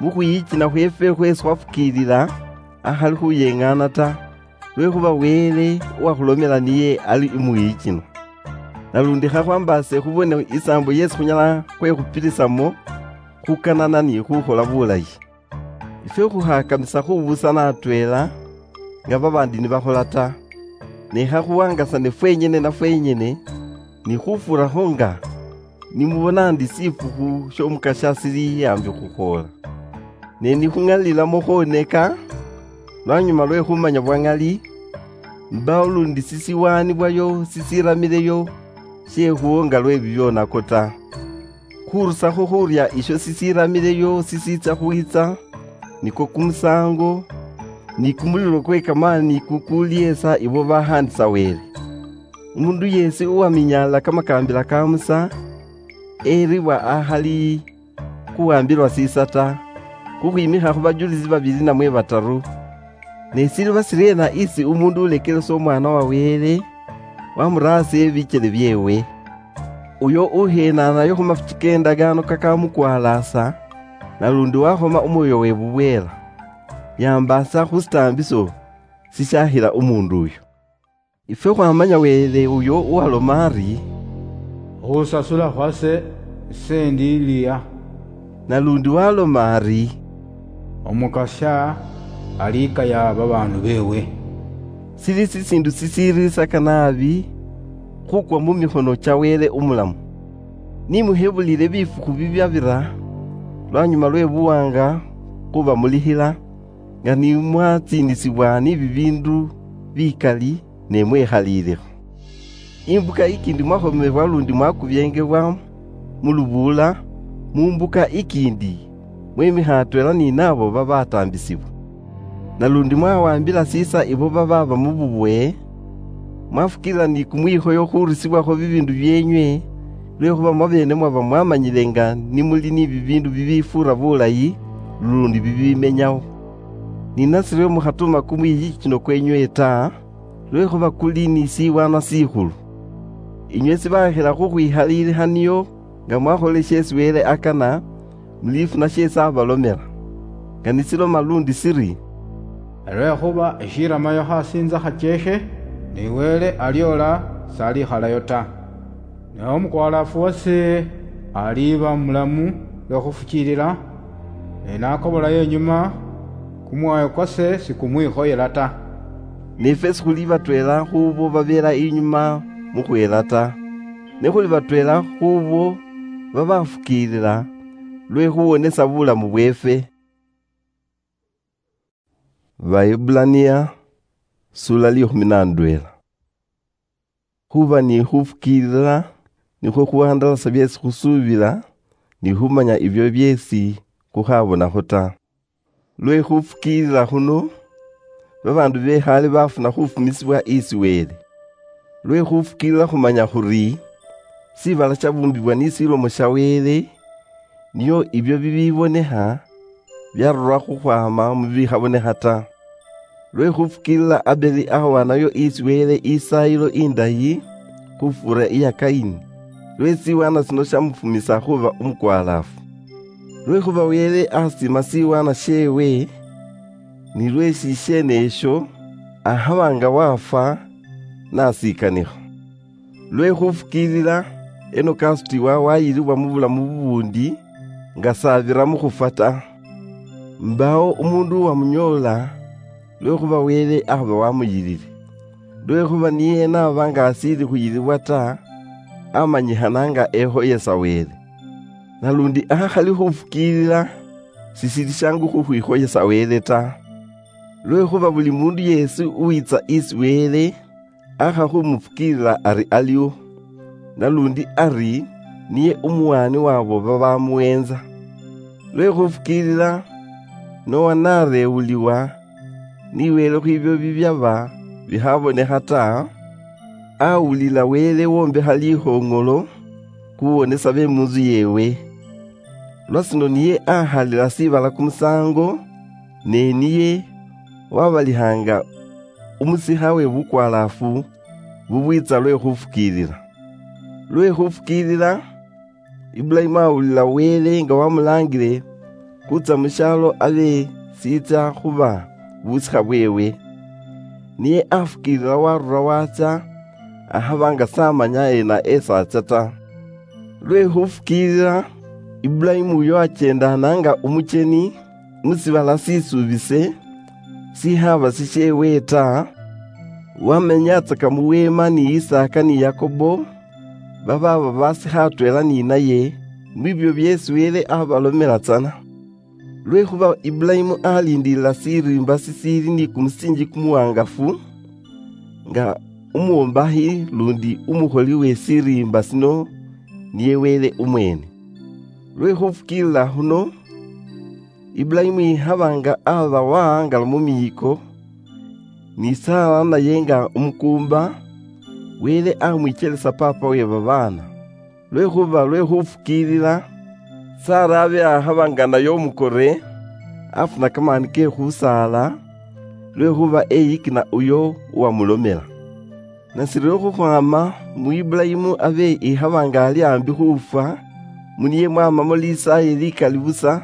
mu khwiyikina khweefwe khweesi khwafukiilila akhali khuyeŋaana ta, lwekhuba Wele uwakhulomela niye ali umuyikina. Nalundi khakhwambaase khubone isaambo yeesi khunyala khwekhupilisamo khukanana ni khukhola bulayi. Ifwe khukhakamisa khubusana atweela nga babaandi nibakhola ta, ne khakhuwangasane fwenyene na fwenyene, ni khufurakho nga nimubona ndi sifukhu sy'Omukasya sili ambi khukhoola. Ne nikhuŋalilamo khwoneka, lwanyuma lwe khumanya bwa ŋali, mbawo lundi sisiwaanibwayo sisiramileyo syekhuwo nga lwe bibyonako ta. Khurusakho khurya isyo sisiramileyo sisiitsa khwitsa, nikwo kumusaango, ni kumulilo kwe kamaani kukuliesa ibo bahaandisa Wele. Umundu yeesi uwaminyaalila kamakaambila ka Musa, eribwa akhali khuwambilwa siisa ta, khukhwimikha khu bajulisi babili namwe bataru. Ne siliba siryeena isi umundu ulekelesa Omwaana wa Wele, wamuraasa ebikyele byeewe? Uyo uhenaanayo khu mafuki k'endagaano kakamukwalaasa, nalundi wakhoma umwoyo weewe bubweela, yambaasa khu sitaambiso sisyakhila umundu uyo. Ifwe khwamanya Wele uyo uwaloma ari, "Khusasula khwase ise ndi liya." Nalundi waloma ari, "Omukasya alikaya babaandu beewe." Sili sisiindu sisiiriisaka naabi khukwa mu mikhono kya Wele umulamu. Nimuhebulile bifukhu bibyabira lwanyuma lwe buwanga khubamulikhila, nga nimwatsiinisibwa ni bibiindu bikali, ne mwekhaliilekho. Imbuka ikiindi mwakhomebwa lundi mwakubyengebwa mu lubuula, mu mbuka ikiindi mwemikha atweela ni naabo babataambisibwa. Nalundi mwawambila siisa ibo babaaba mu bubwe, mwafukiilila ni kumwikhoyo khurusibwakho bibiindu byeenywe, lwekhuba mwabeene mwaba mwamanyile nga nimuli ni bibiindu bibifuura bulayi, lundi bibimenyawo. Ni nasiryo mukhatuma kumwiyichino kwenywe ta, lwekhuba kuli ni siwaanwa sikhulu. Inywe sibakhila khukhwikhaliilikhaniyo nga mwakholile sheesi Wele akana, mulifuna sheesi abalomela. Nga nisiloma lundi siri, "Lwekhuba eshiramayo khasinza khachekhe, ni Wele aliola salikhalayo ta." Ne omukwalaafu wase aliba mulamu lwe khufukiilila, ne nakobolayo inyuma, kumwoyo kwase sikumwikhoyela ta. Nifwe sikhuli batweela khubo babeela inyuma mukhweela ta, ne khuli batweela khubo babafukiilila lwe khuwonesa bulamu bweefwe. Baebbulania, sula likhumi na ndweela. Khuba ni khufukiilila nikhwo khuhandalasa byeesi khusuubila, ni khumanya ibyo byeesi khukhabonakho ta. Lwe khufukiilila khuno, babaandu bekhaale bafuna khufumisibwa isi Wele. Lwe khufukiilila khumanya khuri, sibala syabumbibwa ni silomo sya Wele, nio ibyo bibibonekha, byarulwa khukhwama mu bikhabonekha ta. Lwe khufukiilila Abeli akhowanayo isi Wele isaayilo indayi khufuura iya Kaini, lwe siwaana sino syamufumisa khuba umukwalaafu. Lwekhuba Wele asiima siwaana syeewe, ni lwe shisheene esyo akhaba nga wafwa, n'asikanikha. Lwe khufukiilila, Enoka asutibwa wayilibwa mu bulamu bubundi, nga s'abira mu khufwa ta. Mbaawo umuundu uwamunyoola, lwekhuba Wele akhaba wamuyilile. Lwekhuba niye n'aba nga asiili khuyilibwa ta, amanyikhana nga ekhoyesa Wele. Nalundi akhali khufukiilila, sisili shangu khukhwikhoyesa Wele ta. Lwekhuba buli mundu yesi uwitsa isi Wele, akha khumufukiilila ari aliwo, nalundi ari niye umuwaani wabo babamuwenza. Lwe khufukiilila, Noa narewuliwa ni Wele khwibyo bibyaba bikhabonekha ta, awulila Wele wombekha likhoŋolo khuwonesa be munzu yewe. Lwasino niye ahalila sibala kumusango, ne niye wabalihanga umusikha we bukwalaafu bubwiitsa lwe khufukiilila. Lwe khufukiilila, Ibulayimu awulila Wele nga wamulaangile khutsya mu syaalo abe siitsa khuba busikha bweewe. Niye afukiilila warura watsya, ahaba nga s'amanya ena esaatsya ta. Lwe khufukiilila, Ibulayimu uyo akyendaana nga umucheni mu sibala sisuubise, sihaba sisheewe ta, wamenyatsaka mu weema ni Isaaka ni Yakobo, babaaba basikha atweela ni naye, mwibyo byeesi Wele abalomela tsana. Lwekhuba Ibulayimu aliindilila siriimba sisiili ni kumusiinji kumuwangafu, nga umwombakhi lundi umukholi we siriimba sino niye Wele umweene. Lwe khufukiilila khuno, Ibulayimu ikhaba nga aba wahangalwa mu miiko, ni Sara naye nga umukuumba, Wele amwichelesa paapa we babaana. Lwekhuba lwe khufukiilila, Sara abe akhaba nga naye umukore, afuna kamaani ke khusaala, lwekhuba eyikina uyo uwamulomela. Nashiryo khukhwama mu Ibulayimu abe ikhaba nga ali ambi khufwa, mu niye mwamamo lisaayi likali busa,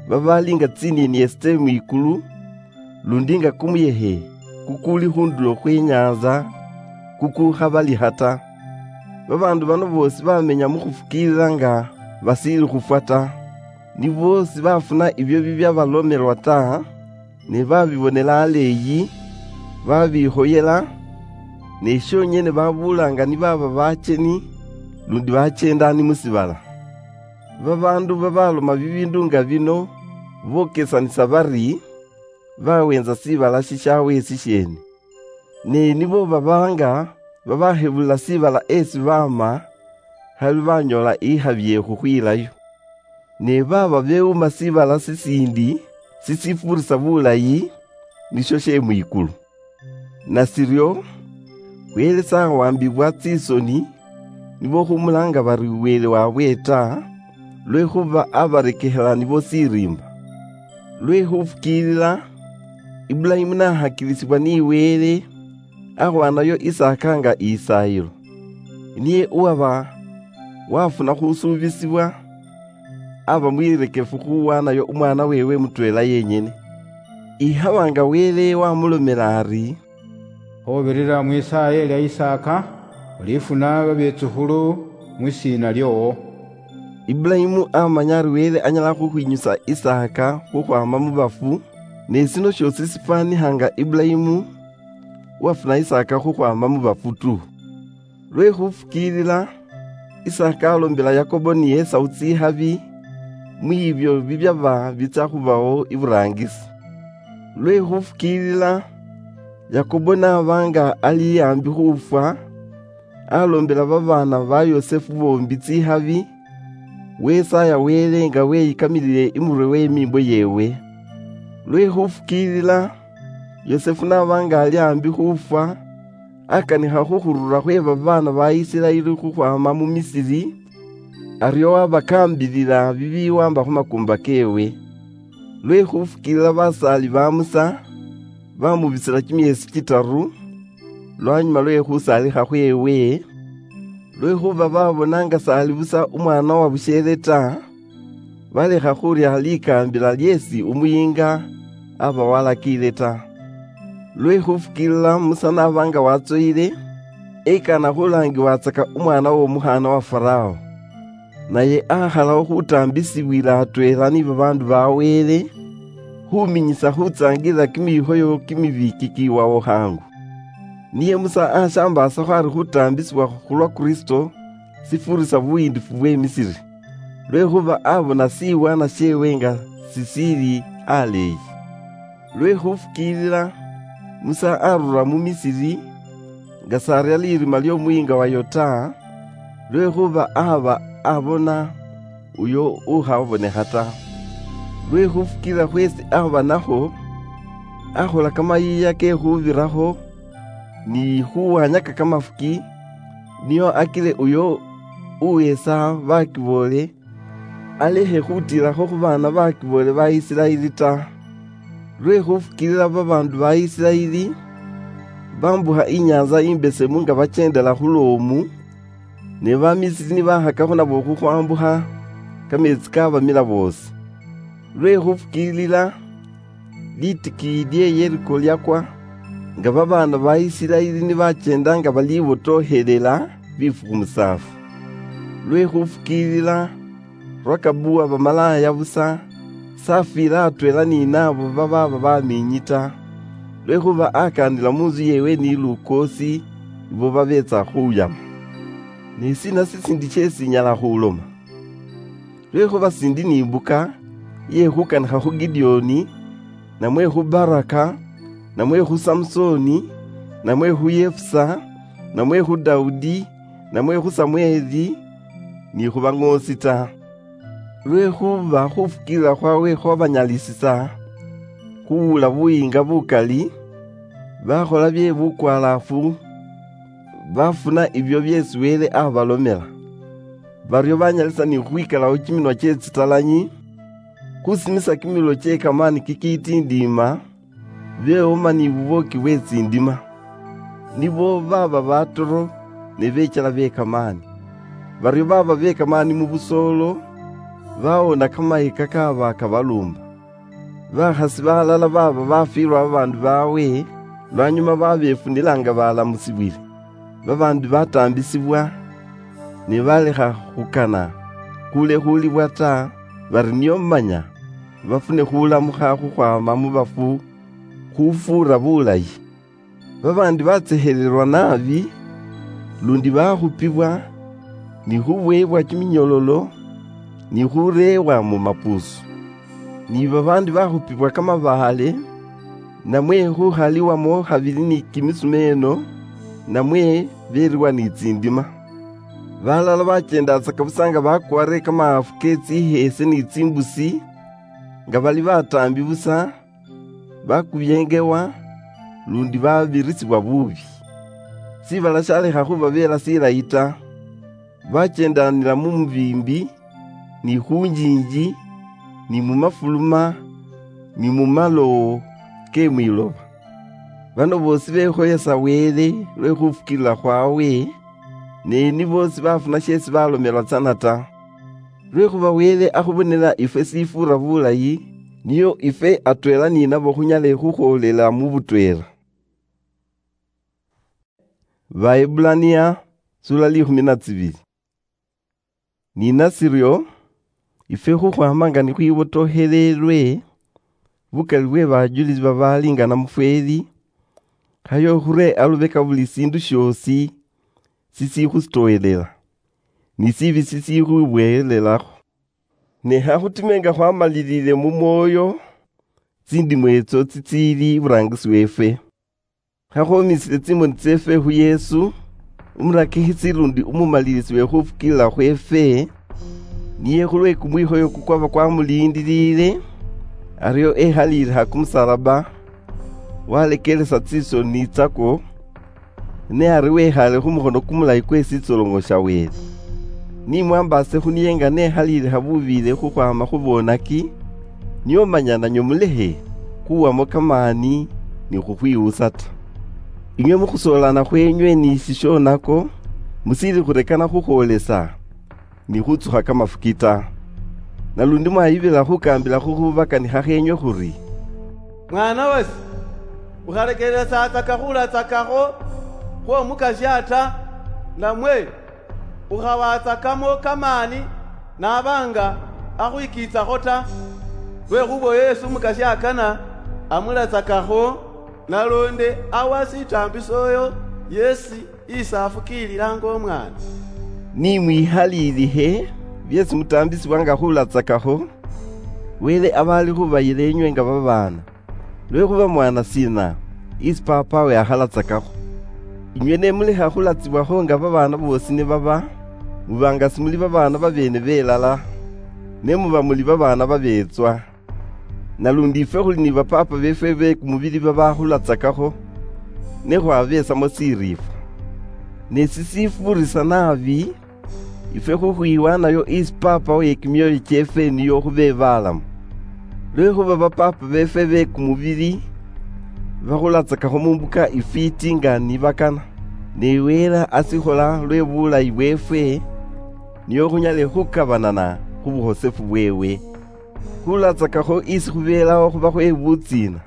babali nga tsinieni esi tse mwikulu, lundi nga kumuyekhe kukuli khundulo khwe nyanza kukukhabalikha ta. Babaandu bano boosi bamenya mu khufukiilila nga basiili khufwa ta. Ni boosi bafuna ibyo bibyabalomelwa ta, ne babibonela aleeyi, babikhoyela, ne shonyene babuula nga ni baba bacheni, lundi bachendaani mu sibala. Babaandu babaloma bibiindu nga bino bokesanisa bari, bawenza sibala shishawe sisheene. Ne nibo babanga babakhebulila sibala esi baama, khali banyoola ikhabi ye khukhwilayo. Ne baba bewuma sibala sisiindi sisifuurisa bulayi, nisho she mwikulu. Nashiryo, Wele s'awambibwa tsisoni nibo khumulaanga bari Wele wabwe ta, lwekhuba abarekekhela nibo siriimba. Lwe khufukiilila, Ibulayimu nahakilisibwa ni Wele, akhwanayo Isaaka nga isaayilo. Niye uwaba wafuna khusuubisibwa, aba mwirekefu khuwanayo umwaana weewe mutweela yenyene. Ikhaba nga Wele wamulomela ari, "Khubirira mwisaaya elya Isaaka, ulifuna babetsukhulu mwisiina lyoowo." Ibulayimu amanya ari Wele anyala khukhwinyusa Isaaka khukhwama mu bafu, ne sino syoosi sifwanikha nga Ibulayimu uwafuna Isaaka khukhwama mu bafu tu. Lwe khufukiilila, Isaaka alombela Yakobo ni Esau tsikhabi, mwibyo bibyaba bitsya khubawo iburaangisi. Lwe khufukiilila, Yakobo n'aba nga ali ambi khufwa, alombela babaana ba Yosefu boombi tsikhabi, wesaaya Wele nga weyikamilile imurwe w'emiimbo yeewe. Lwe khufukiilila, Yosefu n'aba nga ali ambi khufwa, akanikha khukhurura khwe babaana ba Isiraeli khukhwama mu Misiri, aryo wabakaambilila bibiwamba khu makuumba keewe. Lwe khufukiilila basaali ba Musa, bamubisila kimyeesi kitaru, lwanyuma lwe khusaalikha khweewe, lwekhuba babona nga s'ali busa umwaana wa busheele ta, balekha khurya likaambila lyeesi umuyiinga aba walakiile ta. Lwe khufukiilila Musa n'aba nga watsoyile, ekana khulaangiwatsaka umwaana w'omukhaana wa Farao. Naye akhalaho khutaambisibwila atweela ni babaandu ba Wele, khuminyisa khutsaangilila kimikhoyo kimibi kikiiwawo khaangu. Niye Musa ashambaasakho ari khutaambisibwa khulwa Kristo sifuurisa buyiindifu bwe Misiri. lwekhuba abona siwana siewe nga sisiili aleeyi. Lwekhufukiilila, Musa arura mu Misiri, nga saria lirima liomuhinga wa Yota, lwekhuba aba abona uyo ukhabonekha ta. Lwekhufukiilila khwesi ahuba nakho, akhola kamayiiya kekhubirakho, ni khuwanyaka kamafuki, nio akile uyo uwetsa bakiboole alekhe khutiilakho khu baana bakiboole ba Isiraeli ta. Lwe khufukiilila babaandu ba Isiraeli bambukha Inyaantsa Imbesemu nga bacheendela khu lwomu, ne Bamisiri nibakhakakho nabo khukhwambukha, kameetsi kabamila boosi. Lwe khufukiilila, litikiiyi lye Yeriko lyakwa, nga babaana ba Isiraeli nibacheenda nga balibotokhelela bifukhu musaafu. Lwe khufukiilila, Rakabu waba malaaya busa, safwile atweela ni naabo babaaba bamiinyi ta, lwekhuba akaanila mu ntsu yeewe ni lukoosi ibo babeetsa khuyama. Ni sina sisindi syeesi nyala khuloma? Lwekhuba sindi ni imbuka iye khukanikha khu Gideoni, namwe khu Baraka, namwe khu Samusoni, namwe khu Yefusa, namwe khu Daudi, namwe khu Samweli, ni khu baŋoosi ta. Lwekhuba khufukiilila khwawe khwabanyalisisa khuwula buyiinga bukali, bakhola bye bukwalaafu, bafuna ibyo byeesi Wele abalomela. Baryo banyalisa ni khukhwikalawo kiminwa kye tsitalanyi, khusimisa kimililo kye kamaani kikitindiima, bewoma ni bubooki bwe tsindima. Nibo baba batoro ne bechala be kamaani. Baryo baba be kamaani mu busoolo, bawona kamahika kaba kabaluumba. Bakhasi balala baba bafwilwa babaandu baawe, lwanyuma babefunila nga balamusibwile. Babaandi bataambisibwa, ne balekha khukana khulekhuulibwa ta, bari nio manya bafune khulamukha khukhwaama mu bafu khufuura bulayi. Babaandi batsekhelelwa naabi, lundi bakhupibwa, ni khuboyebwa kiminyololo, ni khureebwa mu mapuusu. Ni babaandi bakhupibwa kamabaale, namwe khukhaliwamo khabili ni kimisumeeno, namwe beriwa ni tsindima. Balala bachendatsaka busa nga bakwarire kamaafu ke tsiheese ni tsimbusi, nga bali bataambi busa, bakubyengewa, lundi babirisibwa buubi. Sibala shalekha khubabeela silayi ta. Bachendaanila mu mubiimbi, ni khu njinji, ni mu mafuluma, ni mu malowo ke mwiloba. Bano boosi bekhoyesa Wele lwe khufukilila khwawe, ne ni boosi bafuna sheesi balomelwa tsana ta. Lwekhuba Wele akhubonela ifwe sifuura bulayi, niyo ifwe atweela ni nabo khunyale khukhoolela mu butweela. Baebbulania, sura likhumi na tsibili. Ni nasiryo, ifwe khukhwama nga nikhwibotokhelelwe bukali bwe bajulisi babaali nga namufweli, khayo khuree alubeka buli siindu syoosi sisikhusitoowelela, ni sibi sisikhwibwehelelakho. Ne khakhutime nga khwamalilile mu mwoyo tsindimo etso tsitsiili iburaangisi weefwe. Khakhwomisile tsimoni tseefwe khu Yesu, umurakikhisi lundi umumalilisi we khufukilila khweefwe, niye khulwe kumwikhoyo kukwaba kwamuliindiliile, aryo ekhaliilikha kumusalaba, walekelesa tsisoni tsakwo, ne ari wekhaale khu mukhono kumulayi kwe sitsolongo sha Wele. Ni mwambaase khu niye nga nekhaliilikha bubiile khukhwaama khu bonaki, nio manya nanywe mulekhe khuwamo kamaani ni khukhwiwusa ta. Inywe mu khusoolana khwenywe ni shishonako, musiili khurekana khukhwolesa ni khutsukha kamafuki ta. Nalundi mwayibila khukaambila khu khubakanikha kheenywe khuri, "Mwana wase, ukhalekelelasatsaka khulatsakakho khw'Omukasya ta, namwe ukhawatsakamo kamaani naba nga akhwikiitsakho ta, lwekhuba oyo yesi Omukasya akana amulatsakakho, naloonde awa sitaambiso oyo yesi isi afukiililanga omwana." Ni mwihaliilikhe, Byeesi mutaambisibwa nga khulatsakakho, Wele aba ali khubayila enywe nga babaana, lwekhuba mwana sina isi papawe akhalatsakakho? Inywe ne mulekha khulatsibwakho nga babaana boosi nibaba, muba nga simuli babaana babeene belala, ne muba muli babaana babeetswa. Nalundi ifwe khuli ni bapaapa beefwe be kumubili babakhulatsakakho, ne khwabeetsamo siriifwa. Ne sisifuurisa naabi ifwe khukhwiwanayo isi Paapa we kimyoyo kyeefwe niyo khube balamu. Lwekhuba bapaapa beefwe be kumubili bakhulatsakakho mu mbuka ifwiiti nga nibakana, ne Wele asikhola lwe bulayi bweefwe, niyo khunyale khukabanana khu bukhosefu bweewe. Khulatsakakho isi khubeelaho khuba khwe butsiina,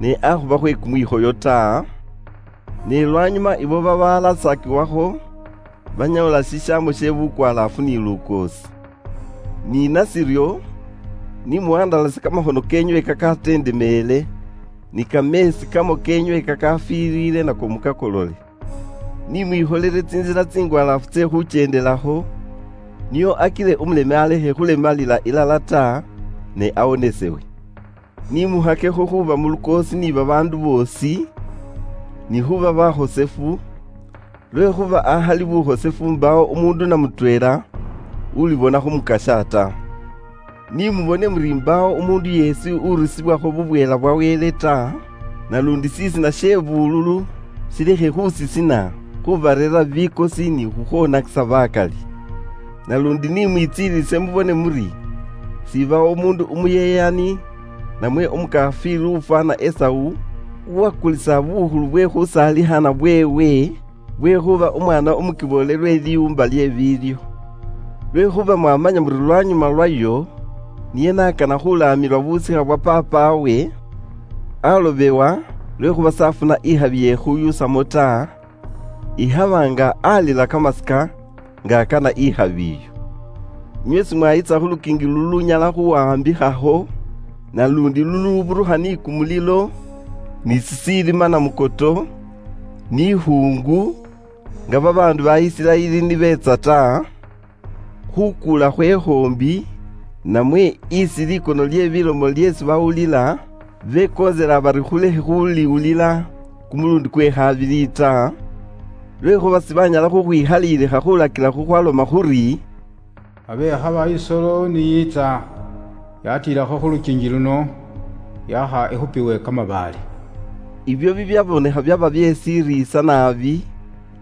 ne akhuba khwe kumwikhoyo ta. Ne lwanyuma ibo babalatsakiwakho banyoola shishaamo she bukwalaafu ni lukoosi. Ni nashiryo, ni muhandalase kamakhono kenywe kakatendemeele, ni kameesi kamo kenywe kakafiiliile nako mukakolole. Ni mwikholele tsinzila tsingwalaafu tse khuchendelakho, niyo akile umuleme alekhe khulemalila ilala ta, ne awonesewe. Ni muhakekho khuba mu lukoosi ni babaandu boosi, ni khuba bakhosefu, lwekhuba ahali bukhosefu mbaawo umuundu na mutweela ulibona khumukasha ta. Ni mubone muri mbaawo umuundu yeesi urusibwakho bubweela bwa Wele ta, nalundi sisina she bululu silekhe khusisina khubarera bikosi ni khukhwonakisa bakali. Nalundi ni mwitsiilise mubone muri, sibawo umuundu umuyeyani, namwe umukafiri ufwana Esau, uwakulisa bukhulu bwe khusaalihana bweewe, bwekhuba umwana umukiboole lwe liumba lye biilyo. Lwekhuba mwamanya muri lwanyuma lwayo, niye nakana khulaamilwa busikha bwa papawe, alobewa, lwekhuba safuna ikhabi ye khuyusamo ta, ikhaba nga alila kamasika nga akana ikhabi iyo. Inywe simwayitsa khu lukiingi lulunyala khuwambikhaho, nalundi luluburukha ni kumulilo, ni sisiilima na mukoto, ni ikhungu, nga babaandu ba Isiraeli nibetsa ta, khukuula khwe khoombi, namwe isi likono lye bilomo lyeesi bawulila, bekoonsela bari khulekhe khuliwulila kumulundi kwe khabili ta, lwekhuba sibanyala khukhwikhalilikha khulakila khukhwaloma khuri, "Abekhaba isolo niyiitsa, yatiilakho khu lukingi luno, yakha ikhupiwe kamabaale." Ibyo bibyabonekha byaba byesiriisa naabi,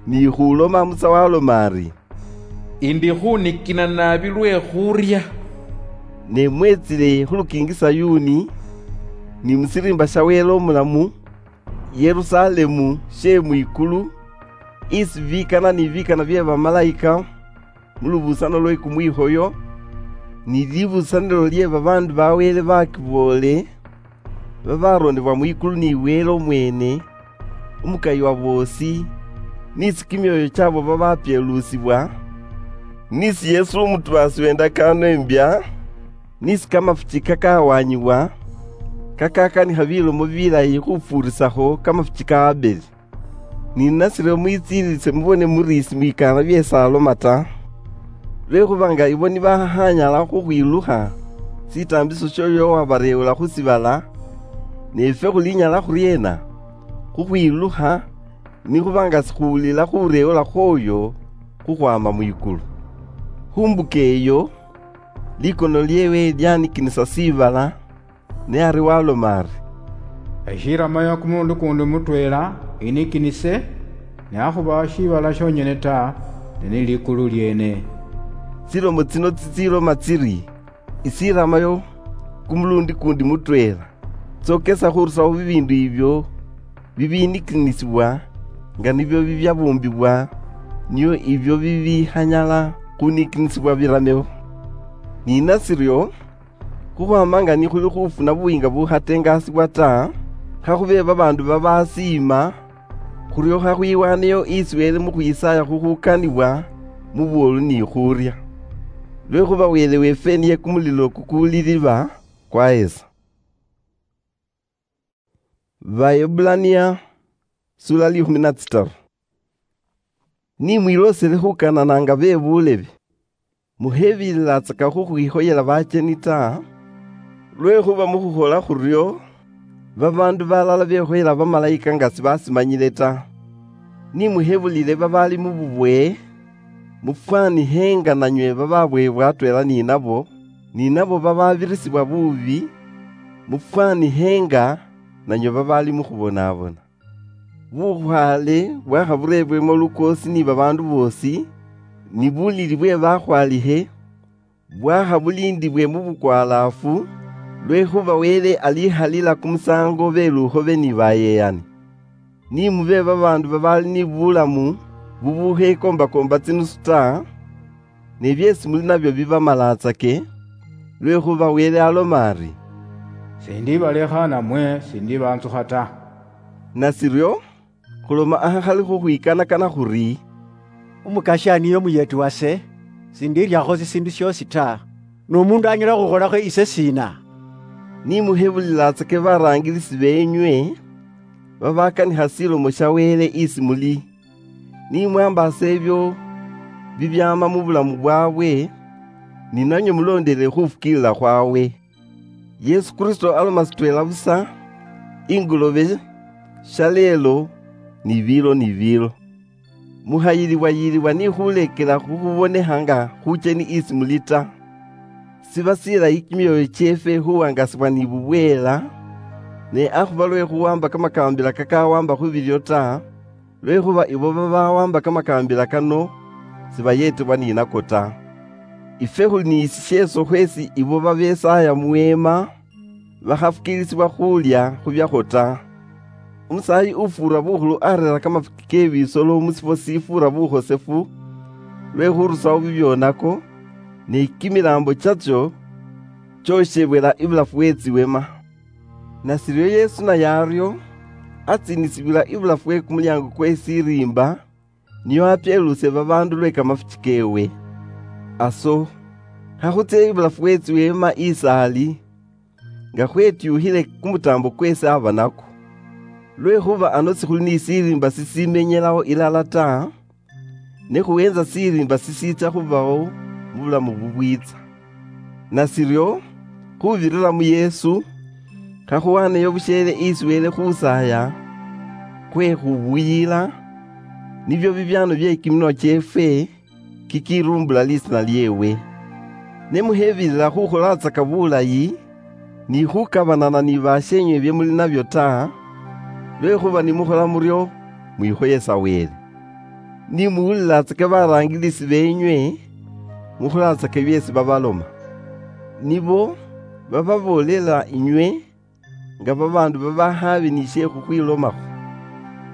ni khuloma Musa waloma ari, "Indi khunikina naabi lwe khuurya." Ne mwetsile khu lukiingi Sayuni, ni mu shiriimba sha Wele Omulamu, Yerusalemu she mwikulu, isi bikana ni bikana bye bamalayika mu lubusanio lwe kumwikhoyo, ni libusanio lye babaandu ba Wele bakiboole, babarondebwa mwikulu ni Wele omwene, umukayi wa boosi, nisi kimyoyo kyabo babapyelusibwa, nisi Yesu umutubaasi wendakaano imbya, nisi kamafuki kakawanyibwa, kakakanikha bilomo bilayi khufuurisakho kamafuki ka Abeli. Ni nashiryo mwitsiilitse mubone muri simwikaana byeesi aloma ta. Lwekhuba nga ibo nibakhanyala khukhwilukha sitaambiso syoyo owabareewula khu sibala, ne ifwe khulinyala khuryeena khukhwilukha, nikhuba nga sikhuwulila khureewula khwoyo khukhwaama mwikulu? Khu mbuka eyo, likono lyeewe lyanikinisa sibala, ne ari waloma ari, "Eshirama ya kumuundu kundi mutweela inikinise, ne akhuba shibala shonyene ta, ne ni likulu lyene." Tsilomo tsino tsitsiloma tsiri, "Isirama yo kumulundi kundi mutweela," tsokesa khurusaho bibindu ibyo bibinikinisibwa, nga nibyo bibyabumbibwa, nio ibyo bibikhanyala khunikinisibwa birameho. Ni nasiryo, khukhwama nga nikhuli khufuna buyiinga bukhatengasibwa ta, khakhube babaandu babasiima, khuryo khakhwiwaneyo isi Wele mu khwisaaya khukhukanibwa mu bwoolu ni khurya. Lwekhuba Wele weefwe niye kumulilo kukuuli liba kwahesa. Baebbulania, sura likhumi na tsitaru. Ni mwiloosele khukanana nga be buulebe, Muhebirilatsaka khukhwikhoyela bacheni ta, lwekhuba mukhukhola khurio, babandu balala bekhoyela bamalayika nga sibasimanyile ta. Nimuhebulile babali mu bubwe, mufwanikhe nga nanywe bababwebwa atwela ninabo, ninabo bababirisibwa bubi, mufwanikhe nga nanywe babali mukhubonabona. Bukhwale bwakhaburebwemo lukoosi ni babaandu boosi, ni bulili bwe bakhwalikhe, bwakhabulindibwe mu bukwalaafu, lwekhuba Wele alikhalila kumusaango belukhobe ni bayeyani. Ni mube babaandu babali ni bulamu bubukhekombakomba tsinusu ta, ne byeesi muli nabyo bibamalatsake, lwekhuba Wele aloma ari, "Sindibalekha namwe sindibanzukha ta." Nasiryo, khuloma ahakhali khukhwikanakana khuri, "Umukasya niye umuyeeti wase, sindiryakho sisiindu syoosi ta. N'omuundu anyala khukholakho ise siina?" Nimuhebulilatsake baraangilisi beenywe babakanikha silomo sya Wele isi muli, ni mwambaasa ebyo bibyaama mu bulamu bwaabwe, ni nanywe muloondelele khufukiilila khwawe. Yesu Kristo aloma sitweela busa, ingolobe, shaleelo, ni biilo ni biilo. Muhayilibwa-yilibwa ni khulekela khukhubonekha nga khucheni isi muli ta. Siba silayi kimyoyo kyeefwe khuwangasibwa ni bubweela, ne akhuba lwe khuwamba kamakambila kakawamba khu bilyo ta, lwekhuba ibo babawamba kamakambila kano sibayetebwa ni nako ta. Ifwe khuli ni sisheeso khweesi ibo babesaaya mu weema bakhafukiilisibwa khulya khu byakho ta. Umusaayi ufuura bukhulu areera kamafuki ke bisolo mu sifwo sifuura bukhosefu lwe khurusawo bibyonako, ne kimilaambo kyatso kyoshebwela ibulafu we tsiwema. Nasiryo Yesu naye aryo, atsiinisibwila ibulafu we kumulyaango kwe siriimba, nio apyeluuse babaandu lwe kamafuki keewe. Aso, khakhutsie ibulafu we tsiweema isaali, nga khwetyuukhile kumutaambo kweesi aba nakwo. Lwekhuba ano sikhuli ni siriimba sisimenyelaho ilala ta, ne khuhenza siriimba sisiitsa khubaho mu bulamu bubwiitsa. Nasiryo, khubirira mu Yesu, khakhuwaneyo busheele isi Wele khusaaya kwe khubuyila, nibyo bibyaano bye kiminwa kyeefwe, kikirumbula lisiina lyeewe. Ne muhebirira khukholatsaka bulayi, ni khukabanana ni basheenywe bye muli nabyo ta, lwekhuba ni mukhola muryo, mwikhoyesa Wele. Ni muwulilatsake baraangilisi beenywe, mukholatsake byeesi babaloma. Nibo bababoolela inywe nga babaandu babahaabi ni she khukhwilomakho.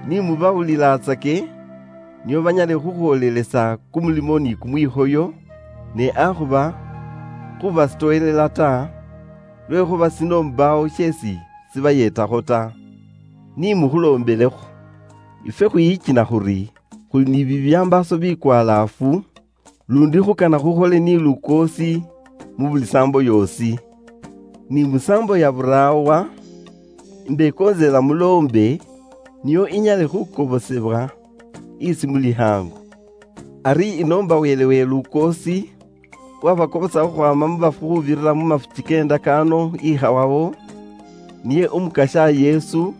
Ni mubawulilatsake, nio banyale khukhwoolelesa kumulimo ni kumwikhoyo, ne akhuba khubasitowelela ta, lwekhuba sino mbaawo sheesi sibayeetakho ta. Ni mukhulombelekho. Ifwe khwiyikina khuri khuli ni bibyambaaso bikwalaafu, lundi khukana khukhole ni lukoosi mu buli saambo yoosi. Ni mu saambo ya buraawa, imbekoonzela muloombe, nio inyale khukobosebwa isi muli hangu. Ari inoomba Wele we lukoosi, wabakobosa khukhwaama mu bafu khubirira mu mafuki k'endakaano ikhawawo, niye Umukasya Yesu,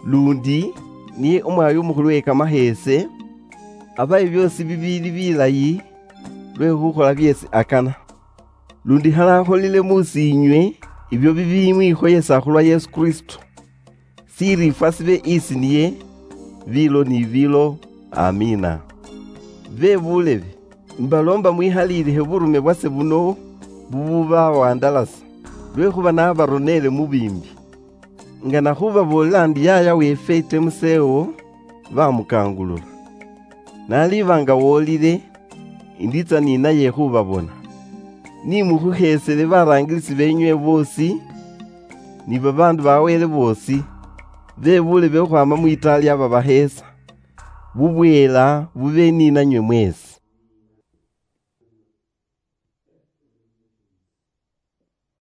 lundi niye Umwaayi Umukhulu we kamaheese, abahe byoosi bibiili bilayi lwe khukhola byeesi akana. Lundi khale akholile mu siinywe ibyo bibimwikhoyesa khulwa Yesu Kristo. Siriifwa sibe isi niye, biilo ni biilo. Amiina. Be buulebe, mbaloomba mwihaliilikhe burume bwase buno bububawandalasa, lwekhuba nabaroneele mu biimbi. Nga nakhubaboolela ndi yaaya weefwe Temusewo, bamukangulula. Naliba nga wolile, indiitsa ninaye khubabona. Ni mukhukheesele baraangilisi beenywe boosi, ni babaandu ba Wele boosi, be buulebe khukhwaama mwitaali aba baheesa. Bubweela bube ni nanywe mweesi.